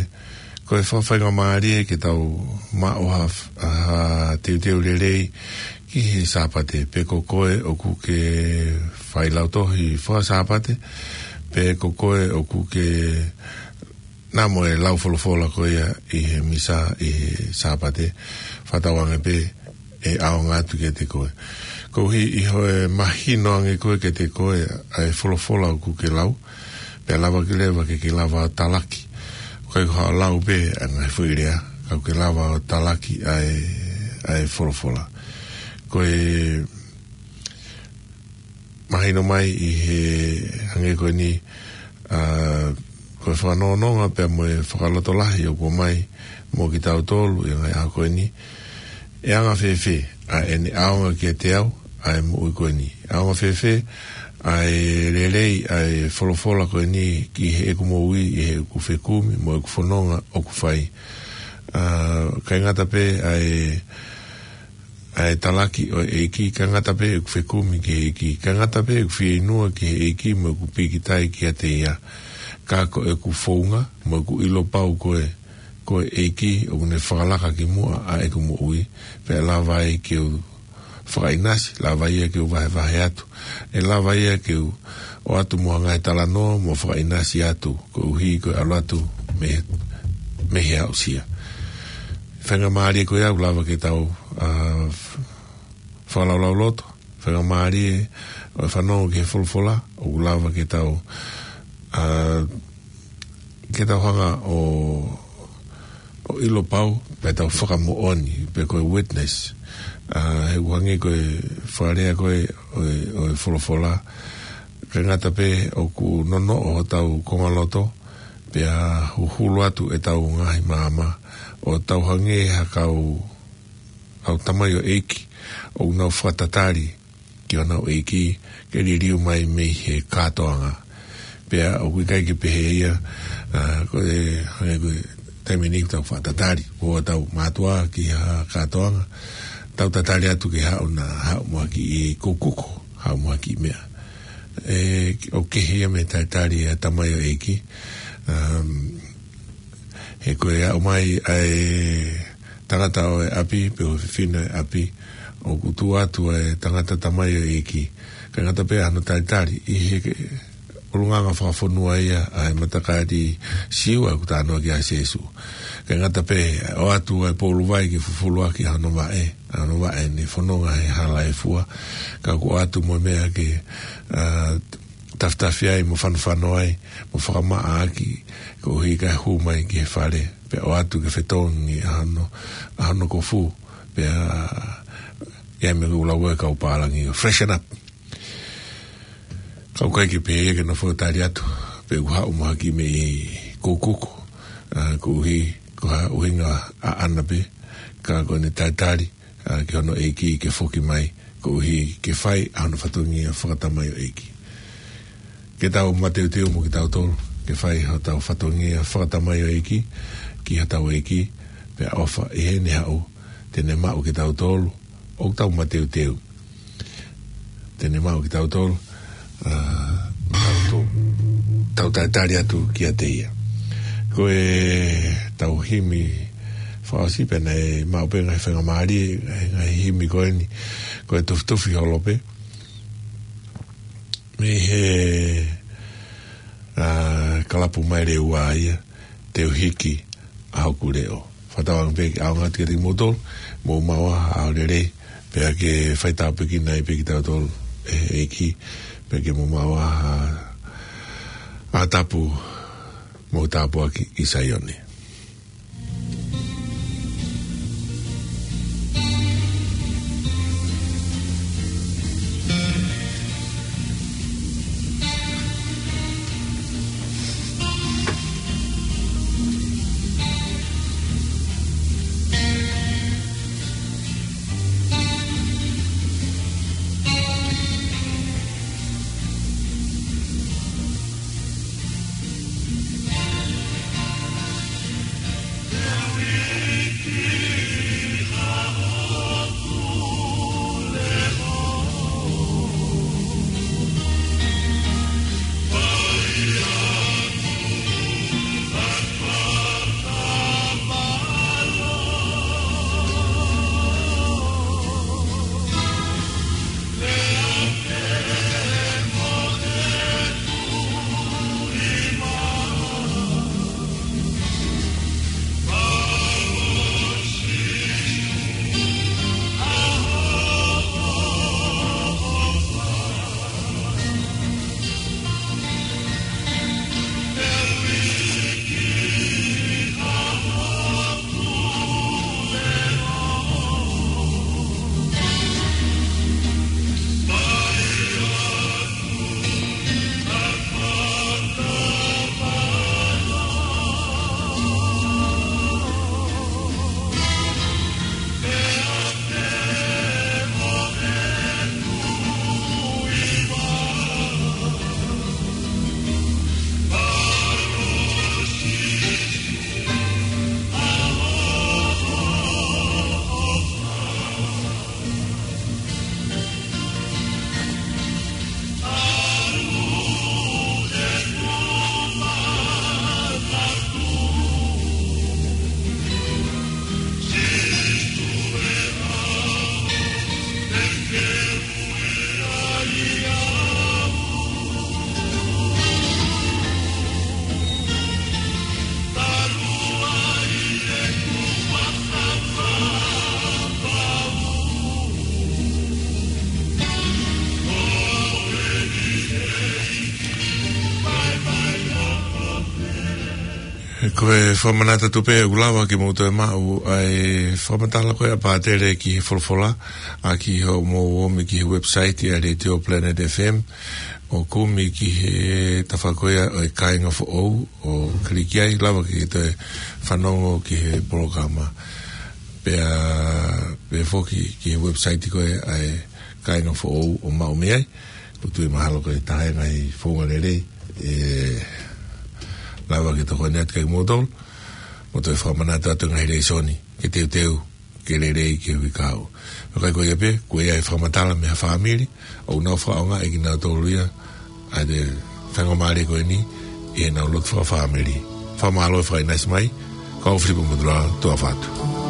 Ko e fakafaingamālie ke tau maʻu ha, ha teuteu lelei ki he Sāpate, pe ko koe ʻoku ke fai lautohi faka-Sāpate, pe ko koe ʻoku ke namo e lau folofola ko ia ʻi he misa ʻi he Sāpate, fakatauange pē ʻe ʻaonga atu kiate koe. Koeʻuhi ʻi hoʻo mahino ange koe kiate koe ʻa e folofola ʻoku ke lau, pea lava ke leva ke ke lava ʻo talaki. ʻOku ʻikai ko haʻo lau pē ʻa e ngaahi foʻi lea, ka ʻoku ke lava ʻo talaki ʻa e, ʻa e folofola. Ko e mahino mai ʻi he hangē ko eni, ʻa, ko e fakanonga pea mo e fakalotolahi ʻoku ʻomai mo kitautolu ʻi he ngaahi ʻaho ko eni. ʻE anga fēfē ʻa ʻene ʻaonga kiate au ʻa e moʻui ko eni? ʻAonga fēfē ʻa e lelei ʻa e folofola ko eni ki heʻeku moʻui ʻi heʻeku fekumi mo ʻeku fononga ʻoku fai? ʻA, ʻikai ngata pē ʻa e ʻa e talaki ʻo e ʻEiki, ʻikai ngata pē ʻeku fekumi ki he ʻEiki, ʻikai ngata pē ʻeku fieinua ki he ʻEiki mo ʻeku pīkitai kiate ia. Ka ko ʻeku founga mo ʻeku ʻilo pau ko e, ko e ʻEiki ʻoku ne fakalaka ki muʻa ʻa ʻeku moʻui, pea lava ai ke u fakaʻinasi, lava ia ke u vahevahe atu, ʻe lava ia ke u ʻoatu mo ha ngaahi talanoa mo fakaʻinasi atu, koeʻuhi ko e ʻalu atu mei, mei he aʻusia. Faingamālie ko ia ʻoku lava ke tau, ʻa, f-, fakalaulauloto, faingamālie ʻo e fanongo ki he folofola, ʻoku lava ke tau, ʻa, ke tau hanga ʻo, ʻo ʻilo pau, pea tau fakamoʻoni, pe ko e witness. ʻA, he ʻoku hangē ko e fakalea ko ē ʻo e, ʻo e folofola, ʻikai ngata pē ʻoku nonoʻo hotau kongaloto, pea huhulu atu ʻetau ngaahi maama, ʻo tau hangē ha kau, kau tamaioʻeiki, ʻoku nau fakatatali ki honau ʻeiki, ke liliu mai mei he kātoanga. Pea ʻoku ʻikai ke pehē ia, ʻa, ko e, hangē ko e taimi ni tau fakatatali, ko ʻetau mātuʻa ki ha kātoanga, tau tatali atu ke haʻu na, haʻu mo ha kiʻi kukuko, haʻu mo ha kiʻi meʻa. ʻE, ʻoku kehe ia mei he talitali ʻa e tamaioʻeiki. Um, he ko e aʻu mai ʻa e tangata ʻo e ʻapi, pe ko e fefine ʻo e ʻapi, ʻoku tuʻu atu ʻa e tangata tamaioʻeiki. ʻIkai ngata pē ʻa hono talitali, ʻi he ke, ʻulungaanga fakafonua ia ʻa e matakali Siu ʻa ē ʻoku talanoa ki ai ʻa Sīsū. ʻIkai ngata pē ʻoatu ʻa e poulu vai ke fufulu ʻaki ʻa hono vaʻe, ʻa hono vaʻe ne fononga he hala ʻo e fua, ka ʻoku ʻoatu mo e meʻa ke, ʻa, tafitafi ai mo fanofano ai, mo fakamaʻa ʻaki, koeʻuhi kae hū mai ki he fale, pea ʻoatu ke fetongi ʻa hono, ʻa hono kofu, pea ʻi ai mo e lau ʻa e kau pālangi ʻo freshen up. Ka ʻoku ʻikai ke pehē ia ke nofo tali atu, pe ʻoku haʻu mo ha kiʻi meʻi kukuko, ʻa, koeʻuhi, ko ha ʻuhinga ʻaʻana pē, ka ko ʻene talitali, ʻa, ki hono ʻeiki ke foki mai, koeʻuhi ke fai ʻa hono fatongia fakatamaioʻeiki. Ke tau mateuteu mo kitautolu, ke fai hotau fatongia fakatamaioʻeiki, ki hotau ʻeiki, pea ʻofa ʻi heʻene haʻu, te ne maʻu kitautolu, ʻoku tau mateuteu. Te ne maʻu kitautolu, ʻa, tau to-, tau talitali atu kiate ia. Ko ʻetau himi fakaʻosi pē naʻe maʻu pē ngaahi faingamālie, ngaahi, ngaahi himi ko eni, ko e Tufitufi Holo pē. Mei he, ʻa, kalapu Maile Ua ia, Te U Hiki ʻa Hoku Leʻo. Fakatauange pē ke ʻaonga atu kiate kimoutolu, mou maʻu ha ʻaho lelei, pea ke fai tāpuekina ai pē kitautolu ʻe he ʻEiki, pea ke mou maʻu ha ʻaho tapu mo tāpuaki ʻi Saione. Ko e fakamanatu atu pē ʻoku lava ke mou toe maʻu ʻa e fakamatala ko ē ʻa Pātele ki he folofola, ʻaki hoʻomou omi ki he website ʻa e Radio Planet F M, ʻo kumi ki he tafa ko ia ʻo e Kāinga Foʻou, ʻo kiliki ai, lava ke toe fanongo ki he polokalama. Pea, pea foki ki he website ko ē ʻa e Kāinga Foʻou ʻo maʻu mei ai, ʻoku ou tui mahalo ko e taha e ngaahi founga lelei, ʻe lava ke tokoni atu kiate kimoutolu, mo toe fakamanatu atu e ngaahi lēsoni, ke teuteu, ke lelei, ke ui kau. Ka ʻikai ko ia pē, ko ia e fakamatala mei ha fāmili, ʻoku nau fakaʻaongaʻi kinautolu ia, ʻa e faingamālie ko eni, ʻi heʻenau lotu fakafāmili. Fakamālō e fakaʻinasi mai, ko au Filipo Motulala, tuʻa ʻofa atu.